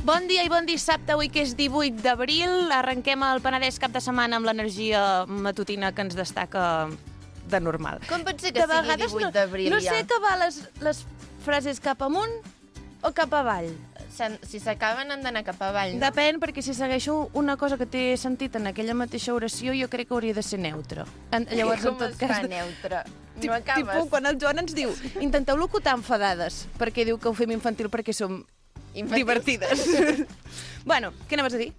Bon dia i bon dissabte, avui que és 18 d'abril. Arrenquem el Penedès cap de setmana amb l'energia matutina que ens destaca de normal. Com pot ser que sigui 18 d'abril no sé que va les frases cap amunt o cap avall. Si s'acaben han d'anar cap avall, no? Depèn, perquè si segueixo una cosa que té sentit en aquella mateixa oració, jo crec que hauria de ser neutra. Llavors, com es fa neutra? No acabes. Tipus, quan el Joan ens diu, intenteu locutar enfadades, perquè diu que ho fem infantil perquè som divertides. Bueno, què anaves a dir?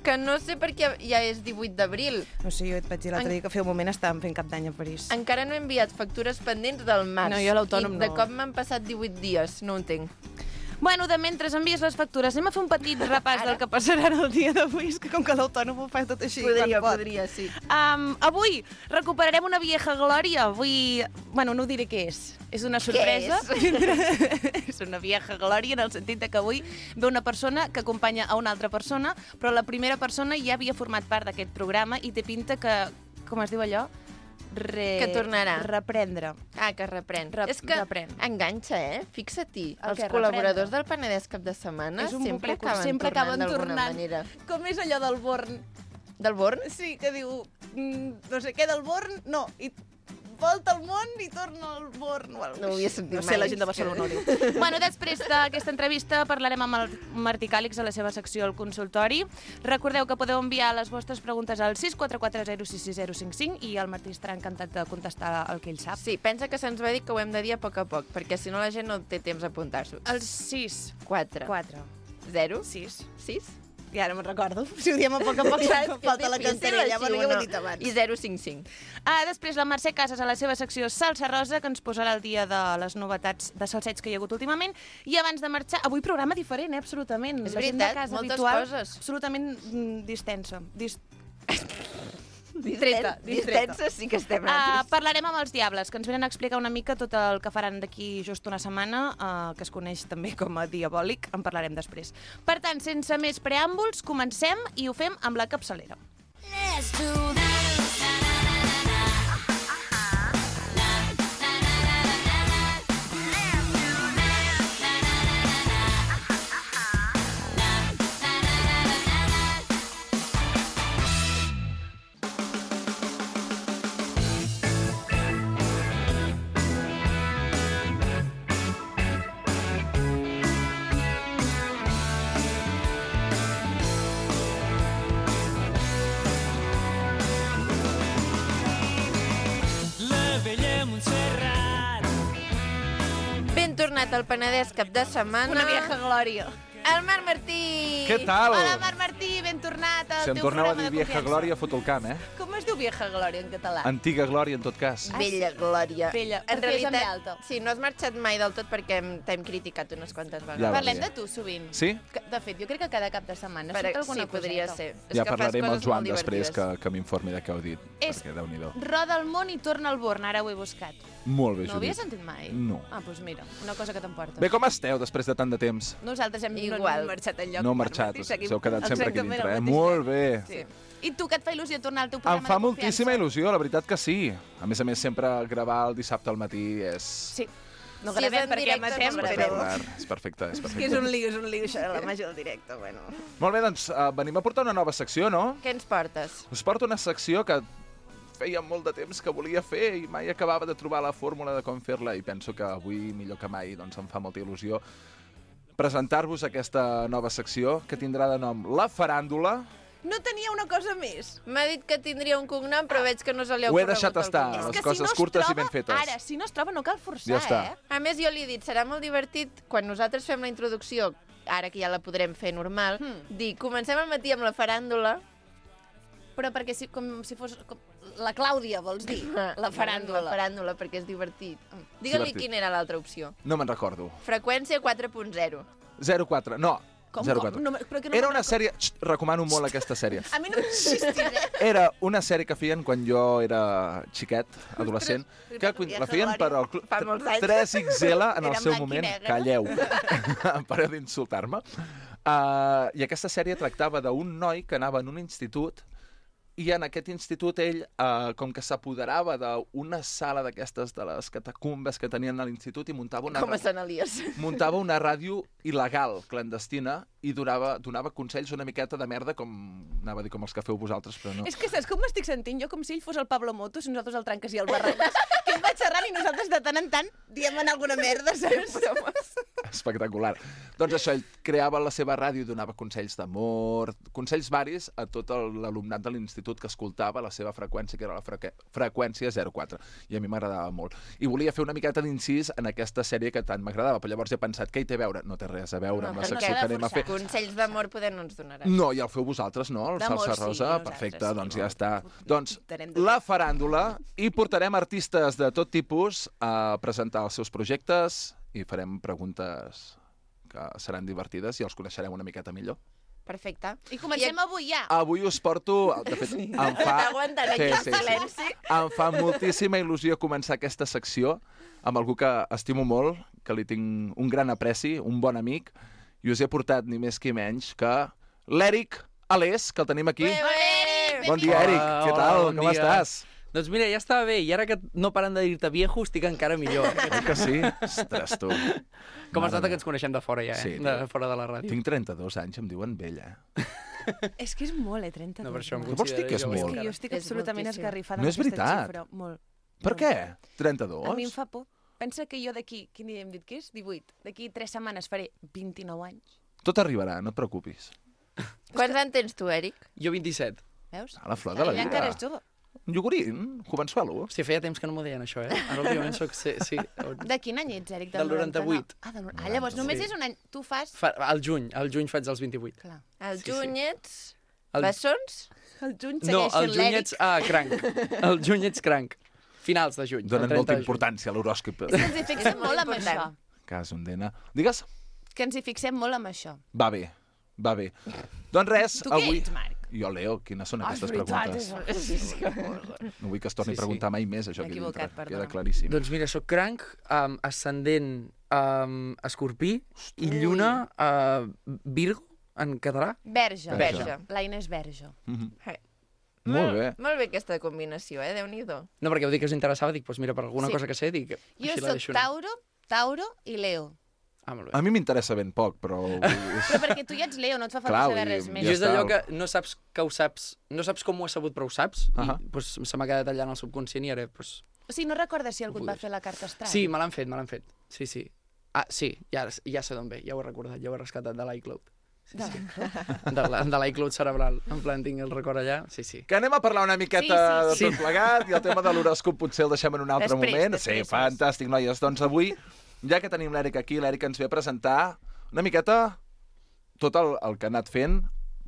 Que no sé per què ja és 18 d'abril. No sé, jo et vaig dir l'altre dia que feia un moment estàvem fent cap d'any a París. Encara no he enviat factures pendents del març. No, jo a l'autònom no. I de cop m'han passat 18 dies, no ho entenc. Bueno, de mentre envies les factures, anem a fer un petit repàs del que passarà el dia d'avui, és que com que l'autònom ho fa tot així Podria, sí. Avui recuperarem una vieja glòria. Avui, bueno, no ho diré què és. És una sorpresa. Què és? És una vieja glòria en el sentit que avui ve una persona que acompanya a una altra persona, però la primera persona ja havia format part d'aquest programa i té pinta que, com es diu allò? Que tornarà. Reprendre. Ah, que reprèn. És que reprèn. Enganxa, Fixa-t'hi. Els que col·laboradors del Penedès cap de setmana sempre acaben tornant d'alguna manera. Com és allò del Born? Del Born? Sí, que diu, no sé què del Born, no, i volta al món i torna al Born. No ho havia sentit mai. No sé, la gent de Barcelona ho diu. Bueno, després d'aquesta entrevista parlarem amb el Martí Càlix a la seva secció al consultori. Recordeu que podeu enviar les vostres preguntes al 644066055 i el Martí estarà encantat de contestar el que ell sap. Sí, pensa que se'ns va dir que ho hem de dir a poc, perquè si no la gent no té temps a apuntar-s'ho. El 6. 4. 0. 6. 6. I ara me'n recordo. Si ho diem a poc falta la cantarella, però ja ho he dit abans. I 055. Després la Mercè Casas a la seva secció Salsa Rosa, que ens posarà el dia de les novetats de salseig que hi ha hagut últimament. I abans de marxar, avui programa diferent, absolutament. És veritat, moltes coses. Absolutament distensa. Distensa sí que estem nosaltres. Parlarem amb els Diables, que ens venen a explicar una mica tot el que faran d'aquí just una setmana, que es coneix també com a Diabòlic. En parlarem després. Per tant, sense més preàmbuls, comencem i ho fem amb la capçalera. Let's do this. Ben tornat al Penedès cap de setmana. Una vieja glòria. El Marc Martí! Què tal? Hola, Marc Martí, ben tornat al Si em teu torneu a programa dir de vieja confiança. glòria, foto el camp, Com es diu vieja glòria en català? Antiga glòria, en tot cas. Vella glòria. Vella. En Perquè és amb realitat, alta. sí, no has marxat mai del tot perquè t'hem criticat unes quantes vegades. Ja va Parlem bé. de tu sovint. Sí? De fet, jo crec que cada cap de setmana Per, surt alguna sí, podria coseta. ser. Ja parlarem amb el Joan molt després divertides. que m'informi de què heu dit. És Perquè, Déu-n'hi-do. Roda el món i torna al Born, ara ho he buscat. Molt bé, No ho havia Judit. sentit mai? No. Ah, doncs mira, una cosa que t'emportes. Bé, com esteu després de tant de temps? Nosaltres hem Igual. no marxat enlloc. No heu Marc marxat, Martí, us seguim heu quedat sempre aquí exactament dintre, al eh? mateix Molt lloc. bé. Sí. I tu, que et fa il·lusió tornar al teu programa Em fa de moltíssima confiança? il·lusió, la veritat que sí. A més, sempre gravar el dissabte al matí és... Sí. No Sí, gravem en perquè directe matem, no però... gravem. És perfecte, és És que perfecte. és un lío, això de la màgia del directe, bueno. Molt bé, doncs venim a portar una nova secció, no? Què ens portes? Us porto una secció que feia molt de temps que volia fer i mai acabava de trobar la fórmula de com fer-la i penso que avui, millor que mai, doncs em fa molta il·lusió presentar-vos aquesta nova secció que tindrà de nom La Faràndula. No tenia una cosa més. M'ha dit que tindria un cognom, però veig que no se li ha Ho he ocorregut deixat el estar. cognom. Les És que coses si no es curtes i troba, ben fetes. Ara, si no es troba, no cal forçar, Ja està. A més, jo li he dit, serà molt divertit quan nosaltres fem la introducció, ara que ja la podrem fer normal, dir, comencem al matí amb la faràndula. Però perquè com si fos la Clàudia, vols dir? La faràndula. La faràndula, perquè és divertit. Digue-li Divertit. quina era l'altra opció. No me'n recordo. Freqüència 4.0. 04, no. Com? 04. No, però que no Era me'n una sèrie... Xt, recomano molt aquesta sèrie. A mi no m'existis, Era una sèrie que feien quan jo era xiquet, adolescent, que la feien per al Fa molts anys. 3XL en el Era seu blanc i moment. negre. Calleu. Pareu d'insultar-me. I aquesta sèrie tractava d'un noi que anava en un institut I en aquest institut ell, com que s'apoderava d'una sala d'aquestes de les catacumbes que tenien a l'institut i muntava Com a Sant Elies. muntava una ràdio il·legal, clandestina, i donava consells una miqueta de merda, com anava a dir com els que feu vosaltres, però no. És que saps com m'estic sentint? Jo com si ell fos el Pablo Motos i nosaltres el Tranques i el Barrabàs, que ell va xerrant i nosaltres de tant en tant diem alguna merda, saps? Espectacular. Doncs això, ell creava la seva ràdio i donava consells d'amor, consells varis a tot l'alumnat de l'institut que escoltava la seva freqüència, que era la freqüència 04. I a mi m'agradava molt. I volia fer una miqueta d'incís en aquesta sèrie que tant m'agradava, però llavors he pensat, què hi té a veure? No té res a veure amb la secció que anem a fer. Consells d'amor poder no ens donaran. No, ja el feu vosaltres, no? El D'amor, Salsa sí, Rosa, nosaltres, perfecte, sí. doncs ja està. Doncs Portarem de la faràndula, i portarem artistes de tot tipus a presentar els seus projectes i farem preguntes que seran divertides i els coneixerem una miqueta millor. Perfecte. I comencem avui ja. Avui us porto... De fet, em fa... Aguantant aquí el silenci. Em fa moltíssima il·lusió començar aquesta secció amb algú que estimo molt, que li tinc un gran apreci, un bon amic, i us he portat ni més que menys que l'Èric Alés, que el tenim aquí. Bon dia, Èric. Què tal? Bon Com dia. estàs? Doncs mira, ja estava bé, i ara que no paren de dir-te viejo, estic encara millor. Oi que sí? Ostres, tu. Com es nota que ens coneixem de fora ja, Sí, de fora de la ràdio. Tinc 32 anys, em diuen vella. És que és molt, 32. No, per això em Què vols dir que és considero molt? És que jo estic És absolutament moltíssim. esgarrifada No amb és aquesta veritat. xifra. Molt. Per Molt. què? 32? A mi em fa por. Pensa que jo d'aquí, quin dia hem dit que és? 18. D'aquí 3 setmanes faré 29 anys. Tot arribarà, no et preocupis. Quants anys tens tu, Èric? Jo 27. Veus? A la flor de la Ella encara vida. és jove. Un iogurint, jovençuelo. Hòstia, feia temps que no m'ho deien, això, eh? Ara últimament soc... Sí. De quin any ets, Èric? Del 98. Llavors només Sí. és un any. Tu fas... Al juny faig els 28. Clar. El Sí, juny ets... El- Bessons? El juny No, segueix al sent juny l'Èric. ets cranc. Al juny ets cranc. Finals de juny. Donen el 30 molta de juny. importància a l'horòscop. És que ens hi fixem És molt molt amb important. això. Cas, un dena. Digues? Que ens hi fixem molt amb això. Va bé, va bé. Doncs res, Tu què avui... ets, Marc? Jo, Leo, quines són aquestes és veritat, preguntes? No vull que es torni a preguntar mai més, això M'he aquí equivocat, dintre. perdona. Queda claríssim. Doncs mira, soc cranc, ascendent escorpí i lluna Virgo, en català. Verge. Verge. L'Aina és verge. Mhm. Hey. Molt bé. Molt bé aquesta combinació, Déu-n'hi-do. No, perquè heu dit que us interessava, dic, doncs mira, per alguna Sí. cosa que sé, dic... Jo així la sóc deixo anar. Tauro i Leo. Ah, molt bé. A mi m'interessa ben poc, però... Però perquè tu ja ets Leo, no et fa falta Clar, saber vull dir, res més. Jo és està. d'allò que no saps que ho saps, no saps com ho has sabut, però ho saps, Ahà. i doncs, se m'ha quedat allà en el subconscient i ara, doncs... O sigui, no recordes si algú et va fer la carta astral? Sí, me l'han fet. Sí, sí. Ah, sí, ja sé d'on ve, ja ho he recordat, ja ho he rescatat de l'iCloud. Sí, sí. De l'iCloud cerebral. En plan, tinc el record allà, sí. Que anem a parlar una miqueta Sí, de tot plegat, i el tema de l'horòscop potser el deixem en un altre moment. Després. Sí, fantàstic, noies. Doncs avui, ja que tenim l'Èric aquí, l'Èric ens ve a presentar una miqueta tot el que ha anat fent,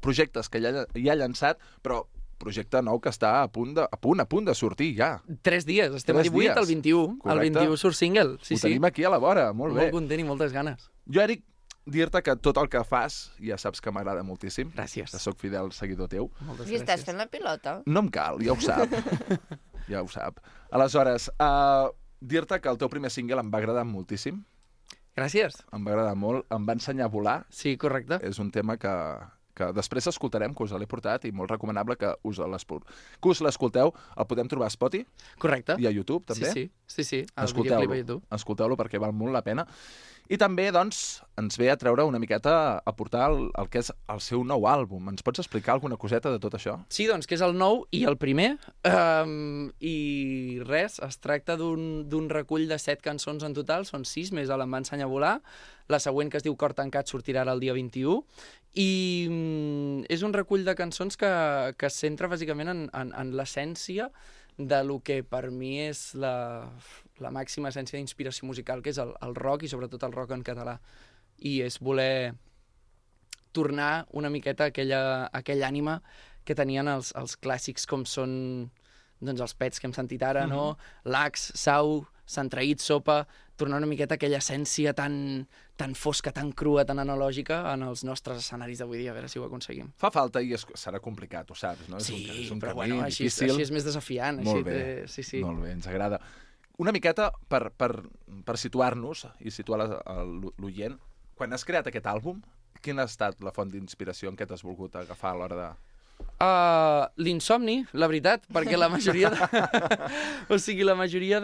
projectes que ja ha llançat, però projecte nou que està a punt de sortir ja. 3 dies, estem 3 a 18, dies. el 21. Correcte. El 21 surt single, sí. Ho tenim aquí a la vora, molt bé. Molt content i moltes ganes. Jo, Èric, dir-te que tot el que fas ja saps que m'agrada moltíssim. Gràcies. Que sóc fidel seguidor teu. Moltes I estàs fent la pilota? No em cal, ja ho sap. Ja ho sap. Aleshores, dir-te que el teu primer single em va agradar moltíssim. Gràcies. Em va agradar molt. Em va ensenyar a volar. Sí, correcte. És un tema que després escoltarem, que us l'he portat, i molt recomanable que us l'escolteu. El podem trobar a Spotify Correcte. i a YouTube, també. Sí. El videoclip a YouTube. Escolteu-lo perquè val molt la pena. I també, doncs, ens ve a treure una miqueta, a portar el que és el seu nou àlbum. Ens pots explicar alguna coseta de tot això? Sí, doncs, que és el nou i el primer. I res, es tracta d'un recull de 7 cançons en total, són 6, més Em va ensenyar a volar. La següent, que es diu Cor tancat, sortirà ara el dia 21. I és un recull de cançons que es centra bàsicament en l'essència de lo que per mi és la màxima essència d'inspiració musical, que és el rock i sobretot el rock en català. I és voler tornar una miqueta a aquella ànima que tenien els clàssics com són doncs, els Pets que hem sentit ara, no? Lax, Sau, Sant Traït, Sopa, tornar una miqueta a aquella essència tan fosca, tan crua, tan analògica en els nostres escenaris d'avui dia, a veure si ho aconseguim. Fa falta i serà complicat, ho saps, no? Sí, és un però camí bueno, així difícil. és més desafiant. Molt així bé, sí. molt bé, ens agrada. Una miqueta per situar-nos i situar l'oient, quan has creat aquest àlbum, quina ha estat la font d'inspiració en què t'has volgut agafar a l'hora de L'insomni, la veritat, perquè la majoria o sigui, la majoria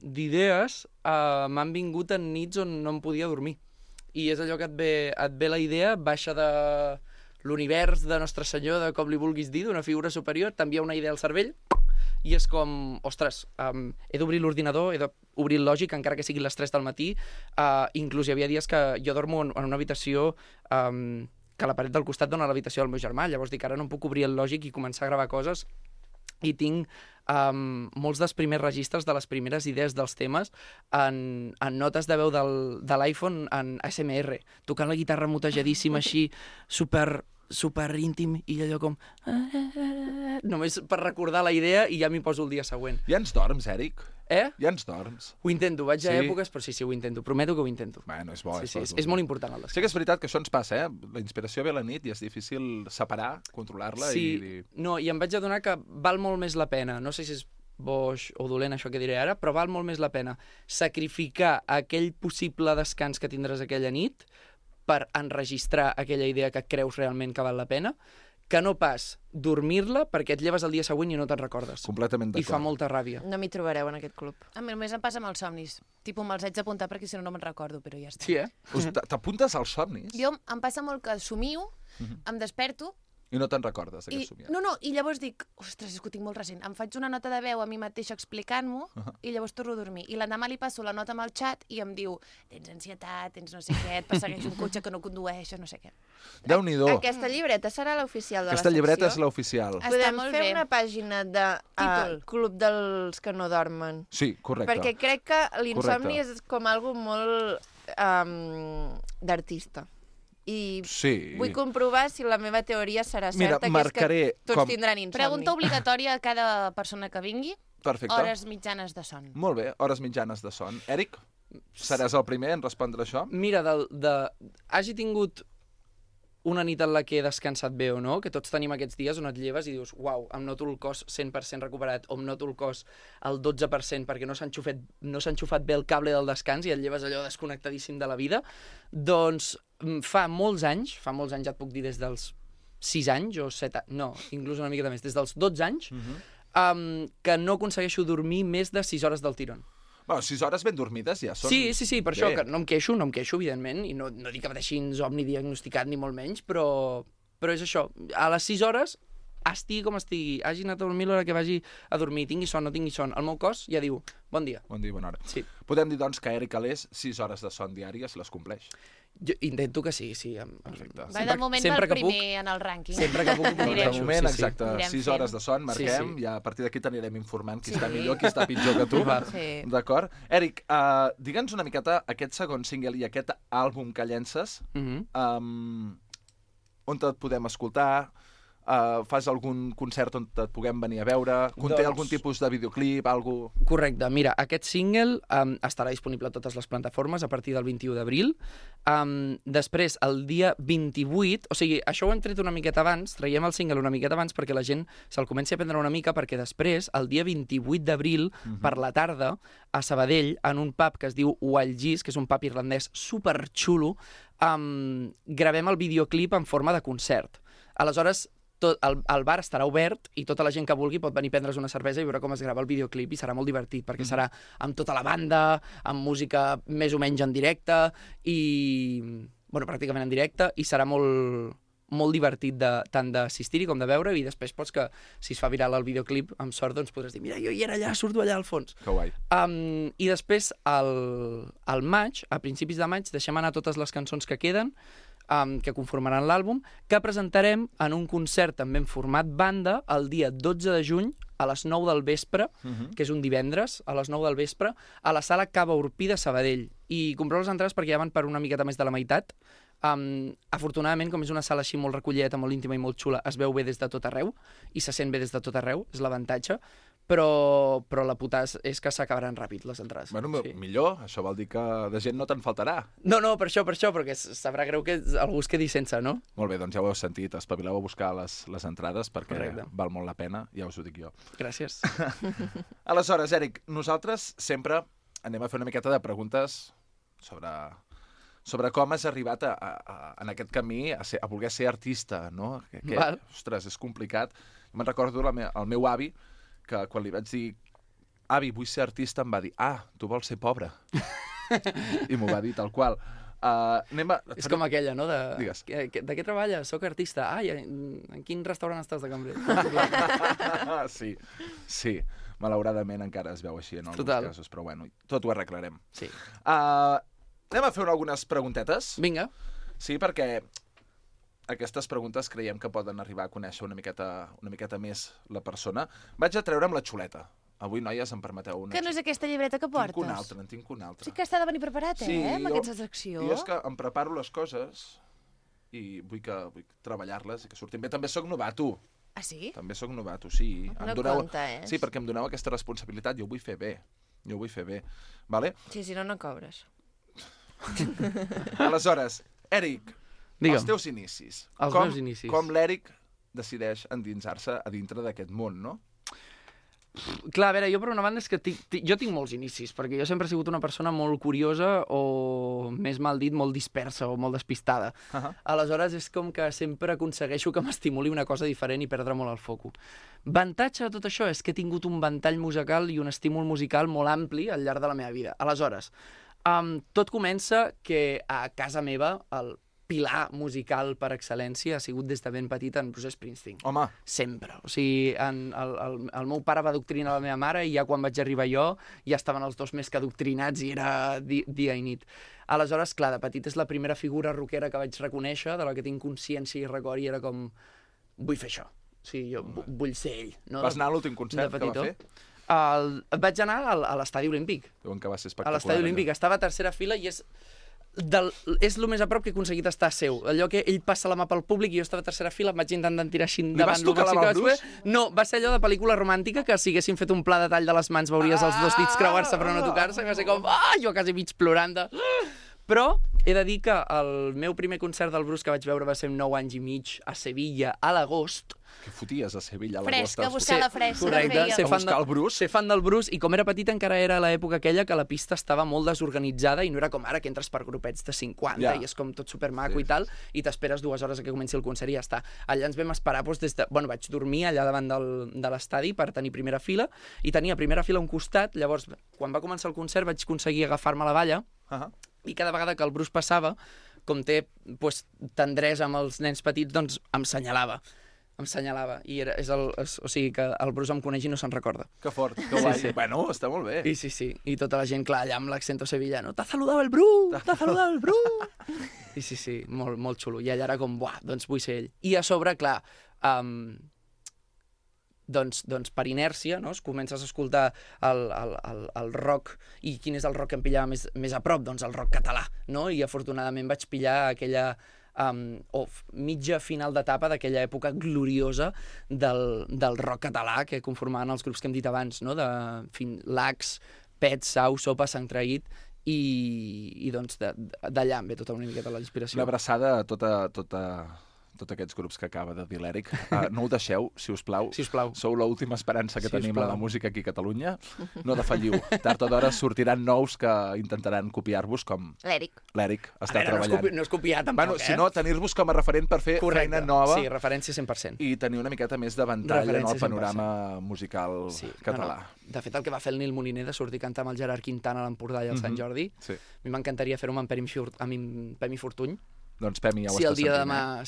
d'idees m'han vingut en nits on no em podia dormir. I és allò que et ve la idea, baixa de l'univers de Nostre Senyor, de com li vulguis dir, d'una figura superior, t'envia una idea al cervell, i és com, ostres, he d'obrir l'ordinador, he d'obrir el lògic, encara que sigui les 3 del matí. Inclús hi havia dies que jo dormo en una habitació que la paret del costat dona a l'habitació del meu germà, llavors dic, ara no puc obrir el lògic i començar a gravar coses, i tinc molts dels primers registres de les primeres idees dels temes en notes de veu de l'iPhone en ASMR, tocant la guitarra mutejadíssima així, super íntim, i allò com... només per recordar la idea i ja m'hi poso el dia següent. Ja ens dorms, Eric? Ja ens dorms? Ho intento, vaig a èpoques, però sí, ho intento. Prometo que ho intento. Bueno, és bo. És molt important el descans. Sí que és veritat que això ens passa, La inspiració ve a la nit i és difícil separar, controlar-la i... No, i em vaig adonar que val molt més la pena, no sé si és boix o dolent això que diré ara, però val molt més la pena sacrificar aquell possible descans que tindràs aquella nit per enregistrar aquella idea que creus realment que val la pena, que no pas dormir-la perquè et lleves el dia següent i no te'n recordes. Completament d'acord. I fa molta ràbia. No m'hi trobareu en aquest club. A mi només em passa amb els somnis. Me'ls haig d'apuntar perquè si no me'n recordo, però ja està. Sí, T'apuntes als somnis? Jo em passa molt que somio, em desperto, I no te'n recordes d'aquest somiat? No, i llavors dic, ostres, és que ho tinc molt recent. Em faig una nota de veu a mi mateixa explicant-m'ho i llavors torno a dormir. I l'endemà li passo la nota amb el xat i em diu, tens ansietat, tens no sé què, et persegueix un cotxe que no condueixes, no sé què. Déu-n'hi-do. Aquesta llibreta serà l'oficial de Aquesta la secció? llibreta és l'oficial. Està Podem molt fer bé. una pàgina de Títol. Club dels que no dormen. Sí, correcte. Perquè crec que l'insomni Correcte. és com algo molt d'artista. I Sí. vull comprovar si la meva teoria serà Mira, certa, marcaré que és que tots com- tindran insomni. Pregunta obligatòria a cada persona que vingui, Perfecte. hores mitjanes de son. Molt bé, hores mitjanes de son. Eric, seràs el primer en respondre això? Mira, hagi tingut una nit en la que he descansat bé o no, que tots tenim aquests dies on et lleves i dius, uau, em noto el cos 100% recuperat o em noto el cos al 12% perquè no s'ha enxufat bé el cable del descans i et lleves allò desconnectadíssim de la vida, doncs fa molts anys, ja et puc dir des dels 6 anys o 7 anys, no, inclús una miqueta més, des dels 12 anys, que no aconsegueixo dormir més de 6 hores del tirón. Bueno, 6 hores ben dormides ja són... Sí, per això, que no em queixo, evidentment, i no dic que pateixi insomni diagnosticat ni molt menys, però és això, a les 6 hores, estigui com estigui, hagi anat a dormir l'hora que vagi a dormir, tingui son, no tingui son, el meu cos ja diu, bon dia. Bon dia, bona hora. Sí. Podem dir, doncs, que Eric Alés 6 hores de son diàries les compleix. Jo intento que sí. Perfecte. Va, de moment va el primer en el rànquing. Sempre que puc, Anirem. De moment, exacte, Anirem 6 fent. hores de son, marquem, Sí. i a partir d'aquí t'anirem informant qui està millor, qui està pitjor que tu. Sí. D'acord? Eric, digue'ns una miqueta aquest segon single i aquest àlbum que llences, on et podem escoltar, fas algun concert on et puguem venir a veure, conté Doncs- algun tipus de videoclip, algú... Correcte. Mira, aquest single estarà disponible a totes les plataformes a partir del 21 d'abril. Després, el dia 28... O sigui, això ho hem tret una miqueta abans, traiem el single una miqueta abans perquè la gent se'l comenci a prendre una mica, perquè després, el dia 28 d'abril, per la tarda, a Sabadell, en un pub que es diu Wild Geese, que és un pub irlandès superxulo, gravem el videoclip en forma de concert. Aleshores, el bar estarà obert i tota la gent que vulgui pot venir a prendre's una cervesa i veure com es grava el videoclip i serà molt divertit perquè serà amb tota la banda, amb música més o menys en directe i... bueno, pràcticament en directe i serà molt divertit tant d'assistir-hi com de veure i després pots que, si es fa viral el videoclip, amb sort doncs podràs dir mira, jo hi era allà, surto allà al fons. Que guai. I després, al maig, a principis de maig, deixem anar totes les cançons que queden, que conformaran l'àlbum, que presentarem en un concert també en format banda el dia 12 de juny a les 9 del vespre, que és un divendres, a les 9 del vespre, a la sala Cava Urpí de Sabadell. I compreu les entrades perquè ja van per una miqueta més de la meitat. Afortunadament, com és una sala així molt recollida, molt íntima i molt xula, es veu bé des de tot arreu i se sent bé des de tot arreu, és l'avantatge, però la putada és que s'acabaran ràpid les entrades. Bueno, millor, això vol dir que de gent no te'n faltarà. No, per això, perquè sabrà greu que algú es quedi sense, no? Molt bé, doncs ja ho heu sentit, espavileu a buscar les entrades perquè Correcte. val molt la pena, ja us ho dic jo. Gràcies. Aleshores, Eric, nosaltres sempre anem a fer una miqueta de preguntes sobre sobre com has arribat en aquest camí a voler ser artista, no? Val. Ostres, és complicat. Me'n recordo el meu avi, que quan li vaig dir avi, vull ser artista, em va dir tu vols ser pobre. I m'ho va dir tal qual. És com aquella, no? Digues. De què treballes? Soc artista. En quin restaurant estàs de cambrer? Sí. Malauradament encara es veu així en alguns casos, però bueno, tot ho arreglarem. Sí. Anem a fer algunes preguntetes. Vinga. Sí, perquè aquestes preguntes creiem que poden arribar a conèixer una miqueta més la persona. Vaig a treure amb la xuleta. Avui, noies, em permeteu una... Que no és aquesta llibreta que portes? Tinc una altra. Sí que està de venir preparat, amb aquesta secció. I és que em preparo les coses i vull treballar-les i que surtin bé. També sóc novato. Ah, sí? També sóc novato, sí. No compta, Sí, perquè em doneu aquesta responsabilitat. Jo ho vull fer bé. Vale? Sí, si no, no cobres. Aleshores, Èric, digue'm. Els teus inicis. Meus inicis. Com l'Èric decideix endinsar-se a dintre d'aquest món, no? Clar, a veure, jo per una banda és que jo tinc molts inicis, perquè jo sempre he sigut una persona molt curiosa o, més mal dit, molt dispersa o molt despistada. Aleshores, és com que sempre aconsegueixo que m'estimuli una cosa diferent i perdre molt el foco. Avantatge de tot això és que he tingut un ventall musical i un estímul musical molt ampli al llarg de la meva vida. Aleshores, tot comença que a casa meva el pilar musical per excel·lència ha sigut des de ben petita en Bruce Springsteen. Home. Sempre. O sigui, el meu pare va adoctrinar la meva mare i ja quan vaig arribar jo ja estaven els dos més que adoctrinats i era dia i nit. Aleshores, clar, de petit és la primera figura rockera que vaig reconèixer, de la que tinc consciència i record, i era com, vull fer això. O sigui, jo vull ser ell. No? Vas anar a l'últim concert que va fer? Vaig anar a l'Estadi Olímpic. Diuen que va ser espectacular. A l'Estadi Olímpic. Estava a tercera fila i és el més a prop que he aconseguit estar seu. Allò que ell passa la mà pel públic i jo estava a tercera fila, em vaig intentant tirar així endavant. Li vas tocar la mà al Bruce? No, va ser allò de pel·lícula romàntica, que si haguessin fet un pla de tall de les mans veuries els dos dits creuar-se però no tocar-se, i va ser com, jo quasi mig plorant de... Però he de dir que el meu primer concert del Bruce que vaig veure va ser 9 anys i mig a Sevilla a l'agost. Què foties a Sevilla a l'agost? Fresca, buscar la fresca. Correcte, A buscar el Bruce? Ser fan del Bruce, i com era petit encara era l'època aquella que la pista estava molt desorganitzada i no era com ara que entres per grupets de 50 i és com tot supermaco i tal, i t'esperes 2 hores a que comenci el concert i ja està. Allà ens vam esperar des de... Bueno, vaig dormir allà davant de l'estadi per tenir primera fila, i tenia primera fila a un costat. Llavors, quan va començar el concert vaig aconseguir agafar-me la valla, i cada vegada que el Bruce passava, com té tendresa amb els nens petits, doncs em senyalava. I o sigui que el Bruce em coneix i no se'n recorda. Que fort, que guai. Sí. Bueno, està molt bé. Sí. I tota la gent, clar, allà amb l'accento sevillano. T'ha saludat el Bruce! T'ha saludat el Bruce! I sí, molt, molt xulo. I allà era com, doncs vull ser ell. I a sobre, clar, doncs per inèrcia, no? Comences a escoltar el rock, i quin és el rock que em pillava més a prop? Doncs el rock català, no? I afortunadament vaig pillar aquella mitja final d'etapa d'aquella època gloriosa del rock català que conformaven els grups que hem dit abans, no? Lax, Pet, Sau, Sopa, Sant Traït, i doncs d'allà em ve tota una miqueta la inspiració. Una abraçada a tots aquests grups que acaba de dir l'Èric. No ho deixeu, si us plau. Sou l'última esperança que tenim a la música aquí a Catalunya. No defalliu. Tard o d'hora sortiran nous que intentaran copiar-vos, com l'Èric està treballant. No és copiar tampoc, Si no, tenir-vos com a referent per fer feina nova. Sí, referència 100%. I tenir una miqueta més de ventall en el panorama musical català. De fet, el que va fer el Nil Moliner de sortir a cantar amb el Gerard Quintana a l'Empordà i al Sant Jordi, a mi m'encantaria fer-ho amb en Pemi Fortuny. Doncs Pemi ja ho Si està sentint.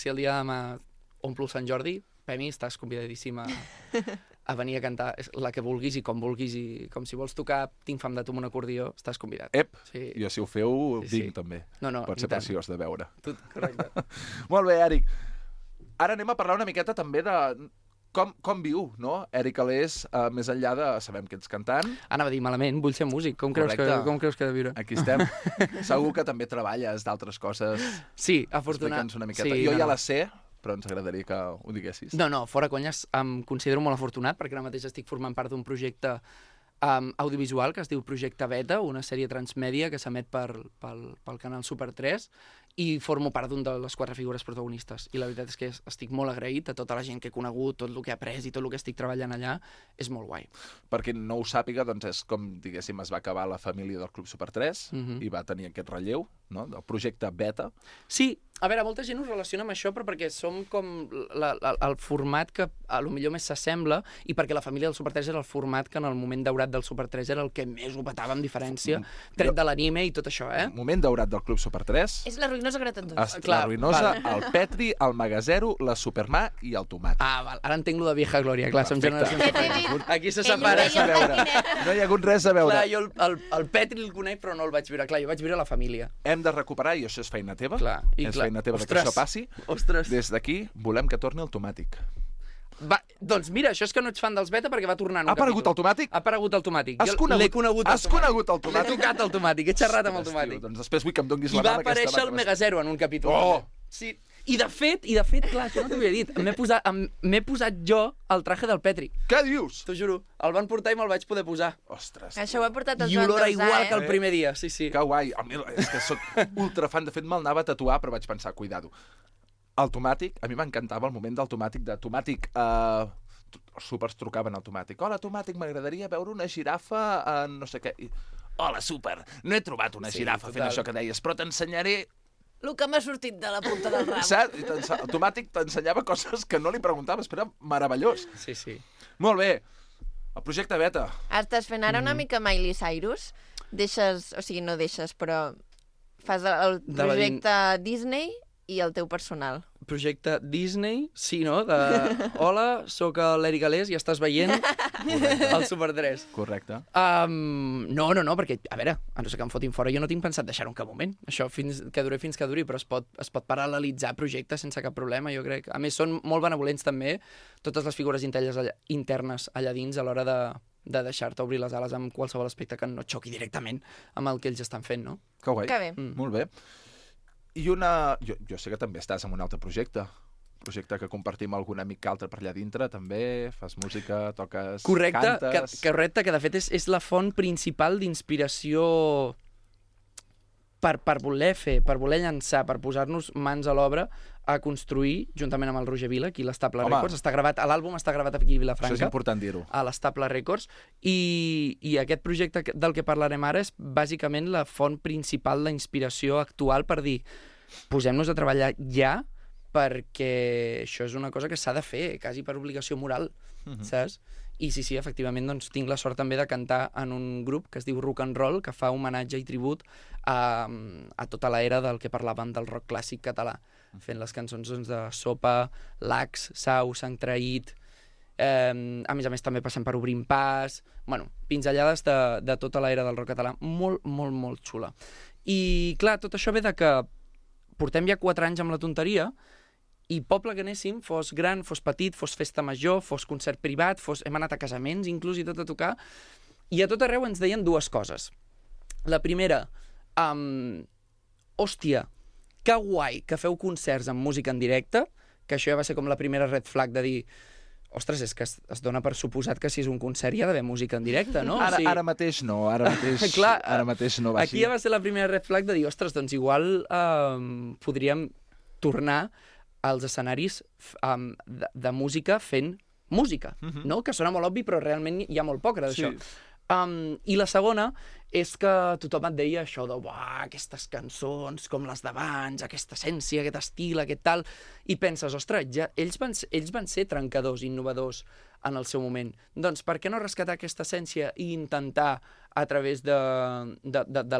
el dia de demà omplo el Sant Jordi, Pemi, estàs convidadíssima a venir a cantar la que vulguis i com si vols tocar Tinc fam de tu amb un acordió, estàs convidat. Jo si ho feu, vinc també. Pot ser preciós de veure. Correcte. Molt bé, Èric. Ara anem a parlar una miqueta també de com viu, no? Èric Alés, més enllà de... Sabem que ets cantant. Anava a dir malament, vull ser músic. Com creus que he de viure? Aquí estem. Segur que també treballes d'altres coses. Sí, afortunadament. Explica'ns una miqueta. Jo ja la sé, però ens agradaria que ho diguessis. No, fora conyes, em considero molt afortunat, perquè ara mateix estic formant part d'un projecte audiovisual que es diu Projecte Beta, una sèrie transmèdia que s'emet pel canal Super 3, i formo part d'un de les 4 figures protagonistes. I la veritat és que estic molt agraït a tota la gent que he conegut, tot el que he après i tot el que estic treballant allà. És molt guai. Per qui no ho sàpiga, doncs és com, diguéssim, es va acabar la família del Club Super 3 i va tenir aquest relleu, no?, del projecte Beta. Sí, a veure, molta gent ho relaciona amb això, però perquè som com el format que a lo millor més s'assembla i perquè la família del Super 3 era el format que en el moment daurat del Super 3 era el que més ho petava amb diferència, tret de l'anime i tot això, Moment daurat del Club Super 3. És la ruïnosa Greta en dos. La ruïnosa, el Petri, el Magazero, la Supermà i el Tomàtic. Ah, val. Ara entenc lo de vieja glòria, clar, som generacions diferents. Aquí se Ell ho separa. deia al patinet. No hi ha hagut res a veure. Clar, jo el Petri el conec, però no el vaig viure. Clar, jo vaig viure la família. Hem de recuperar, i això és feina teva, Clar, és feina teva que això passi. Ostres. Des d'aquí volem que torni el Tomàtic. Va, doncs mira, això és que no ets fan dels Beta perquè va tornar en un Ha aparegut el Tomàtic? Ha aparegut el Tomàtic. Has Jo conegut- l'he conegut has conegut el Tomàtic? L'he tocat el Tomàtic, he xerrat amb el Ostres, Tomàtic. tio, doncs després vull que em donguis I la va mà amb aquesta aparèixer el mà que Megazero en un capítol. Oh! Sí. I de fet, clar, això no t'ho havia dit, m'he posat jo el traje del Petri. Què dius? T'ho juro. El van portar i me'l vaig poder posar. Ostres, Això ho ha portat el I Joan olora Dausà, igual que el primer dia, sí. que guai. És que soc ultrafan. De fet, me'l anava a tatuar, però vaig pensar, cuidado. El Tomàtic, a mi m'encantava el moment del Tomàtic, els súpers trucaven al Tomàtic. Hola, Tomàtic, m'agradaria veure una girafa en no sé què. Hola, súper, no he trobat una girafa fent això que deies, però t'ensenyaré. El que m'ha sortit de la punta del ram. Saps? El Tomàtic t'ensenyava coses que no li preguntaves, però era meravellós. Sí. Molt bé. El projecte Beta. Estàs fent ara una mica Miley Cyrus? Deixes, o sigui, no deixes, però fas el projecte Disney i el teu personal. Projecte Disney, sí, no? Hola, sóc l'Eric Galés i estàs veient el Super 3. Correcte. No, perquè, a veure, a no ser que em fotin fora, jo no tinc pensat deixar-ho en cap moment. Això fins que duri, però es pot paral·lelitzar projectes sense cap problema, jo crec. A més, són molt benevolents també totes les figures internes allà dins a l'hora de deixar-te obrir les ales amb qualsevol aspecte que no xoqui directament amb el que ells estan fent, no? Que guai. Que bé. Molt bé. I jo sé que també estàs en un altre projecte que compartim algun amic que altre per allà dintre, també, fas música, toques, cantes... Correcte, que de fet és la font principal d'inspiració per voler fer, per voler llançar, per posar-nos mans a l'obra a construir, juntament amb el Roger Vila, aquí a l'Estable Records. L'àlbum està gravat aquí a Vilafranca. Això és important dir-ho. A l'Estable Records. I aquest projecte del que parlarem ara és bàsicament la font principal d'inspiració actual per dir posem-nos a treballar ja perquè això és una cosa que s'ha de fer, quasi per obligació moral, saps? I sí, efectivament, doncs, tinc la sort també de cantar en un grup que es diu Rock and Roll, que fa homenatge i tribut a tota l'era del que parlàvem del rock clàssic català, fent les cançons doncs, de Sopa, Lax, Sau, Sant Traït, a més també passem per Obrim Pas, bueno, pinzellades de tota l'era del rock català, molt, molt, molt xula. I clar, tot això ve de que portem ja 4 anys amb la tonteria i poble que anéssim, fos gran, fos petit, fos festa major, fos concert privat, hem anat a casaments inclús i tot a tocar, i a tot arreu ens deien 2 coses. La primera, hòstia, que guai que feu concerts amb música en directe, que això ja va ser com la primera red flag de dir ostres, és que es dona per suposat que si és un concert hi ha d'haver música en directe, no? Ara mateix no, ara mateix no va així. Aquí ja va ser la primera red flag de dir, ostres, doncs igual podríem tornar als escenaris de música fent música, no? Que sona molt obvi, però realment hi ha molt poc d'això. I la segona és que tothom et deia això de aquestes cançons com les d'abans, aquesta essència, aquest estil, aquest tal, i penses, ostres, ells van ser trencadors, innovadors en el seu moment. Doncs per què no rescatar aquesta essència i intentar, a través de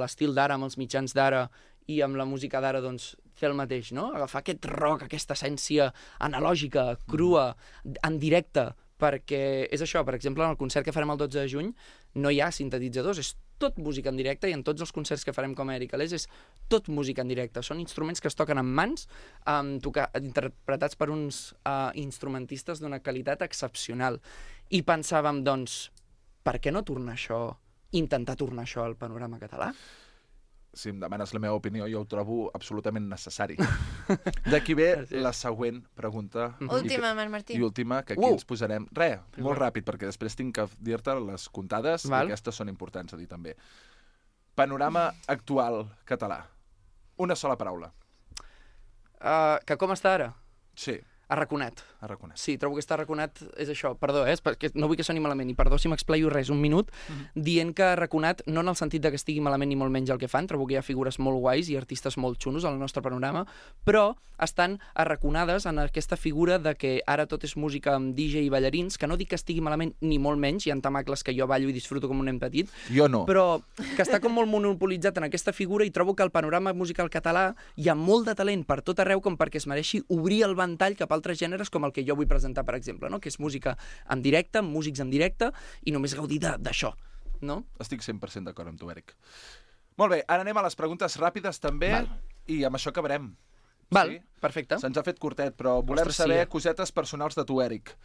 l'estil d'ara, amb els mitjans d'ara i amb la música d'ara, doncs, fer el mateix, no? Agafar aquest rock, aquesta essència analògica, crua, en directe, perquè és això, per exemple, en el concert que farem el 12 de juny no hi ha sintetitzadors, és tot música en directe, i en tots els concerts que farem com a Eric Alés és tot música en directe. Són instruments que es toquen amb mans, interpretats per uns instrumentistes d'una qualitat excepcional. I pensàvem, doncs, per què no intentar tornar això al panorama català? Si em demanes la meva opinió, jo ho trobo absolutament necessari. D'aquí ve la següent pregunta. Última, Marc Martí. I última, que aquí ens posarem... Molt ràpid, perquè després tinc que dir-te les comptades, i aquestes són importants a dir també. Panorama actual català. Una sola paraula. Que com està ara? Sí, Arraconat. arraconat. Sí, trobo que està arraconat, és això. Perdó, perquè no vull que soni malament, i perdó si m'explaio res, un minut, dient que arraconat, no en el sentit de que estigui malament ni molt menys el que fan, trobo que hi ha figures molt guais i artistes molt xunos al nostre panorama, però estan arraconades en aquesta figura de que ara tot és música amb DJ i ballarins, que no dic que estigui malament ni molt menys, hi ha tamacles que jo ballo i disfruto com un nen petit, Jo no. però que està com molt monopolitzat en aquesta figura i trobo que al panorama musical català hi ha molt de talent per tot arreu com perquè es mereixi obrir el ventall cap a altres gèneres com el que jo vull presentar, per exemple, no? Que és música en directe, amb músics en directe i només gaudir d'això, no? Estic 100% d'acord amb tu, Eric. Molt bé, ara anem a les preguntes ràpides també i amb això acabarem. Val, Sí? perfecte. Se'ns ha fet curtet, però volem Ostres, saber sí. cosetes personals de tu, Eric.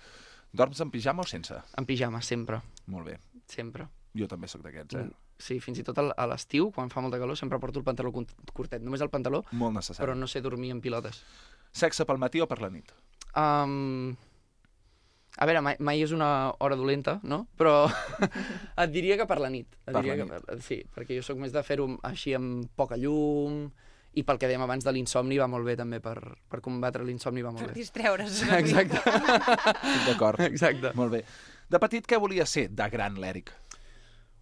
Dorms en pijama o sense? En pijama, sempre, Molt bé. sempre. Jo també sóc d'aquests, eh? Sí, fins i tot a l'estiu, quan fa molta calor, sempre porto el pantaló curtet. Només el pantaló, Molt necessari. però no sé dormir en pilotes. Sexe pel matí o per la nit? A veure, mai és una hora dolenta, no? Però et diria que per la nit. Per la nit. Sí, perquè jo sóc més de fer-ho així amb poca llum i pel que dèiem abans de l'insomni va molt bé també, per combatre l'insomni va molt Per bé. distreure's. Exacte. Estic d'acord. Exacte. Molt bé. De petit, què volia ser de gran, l'Eric?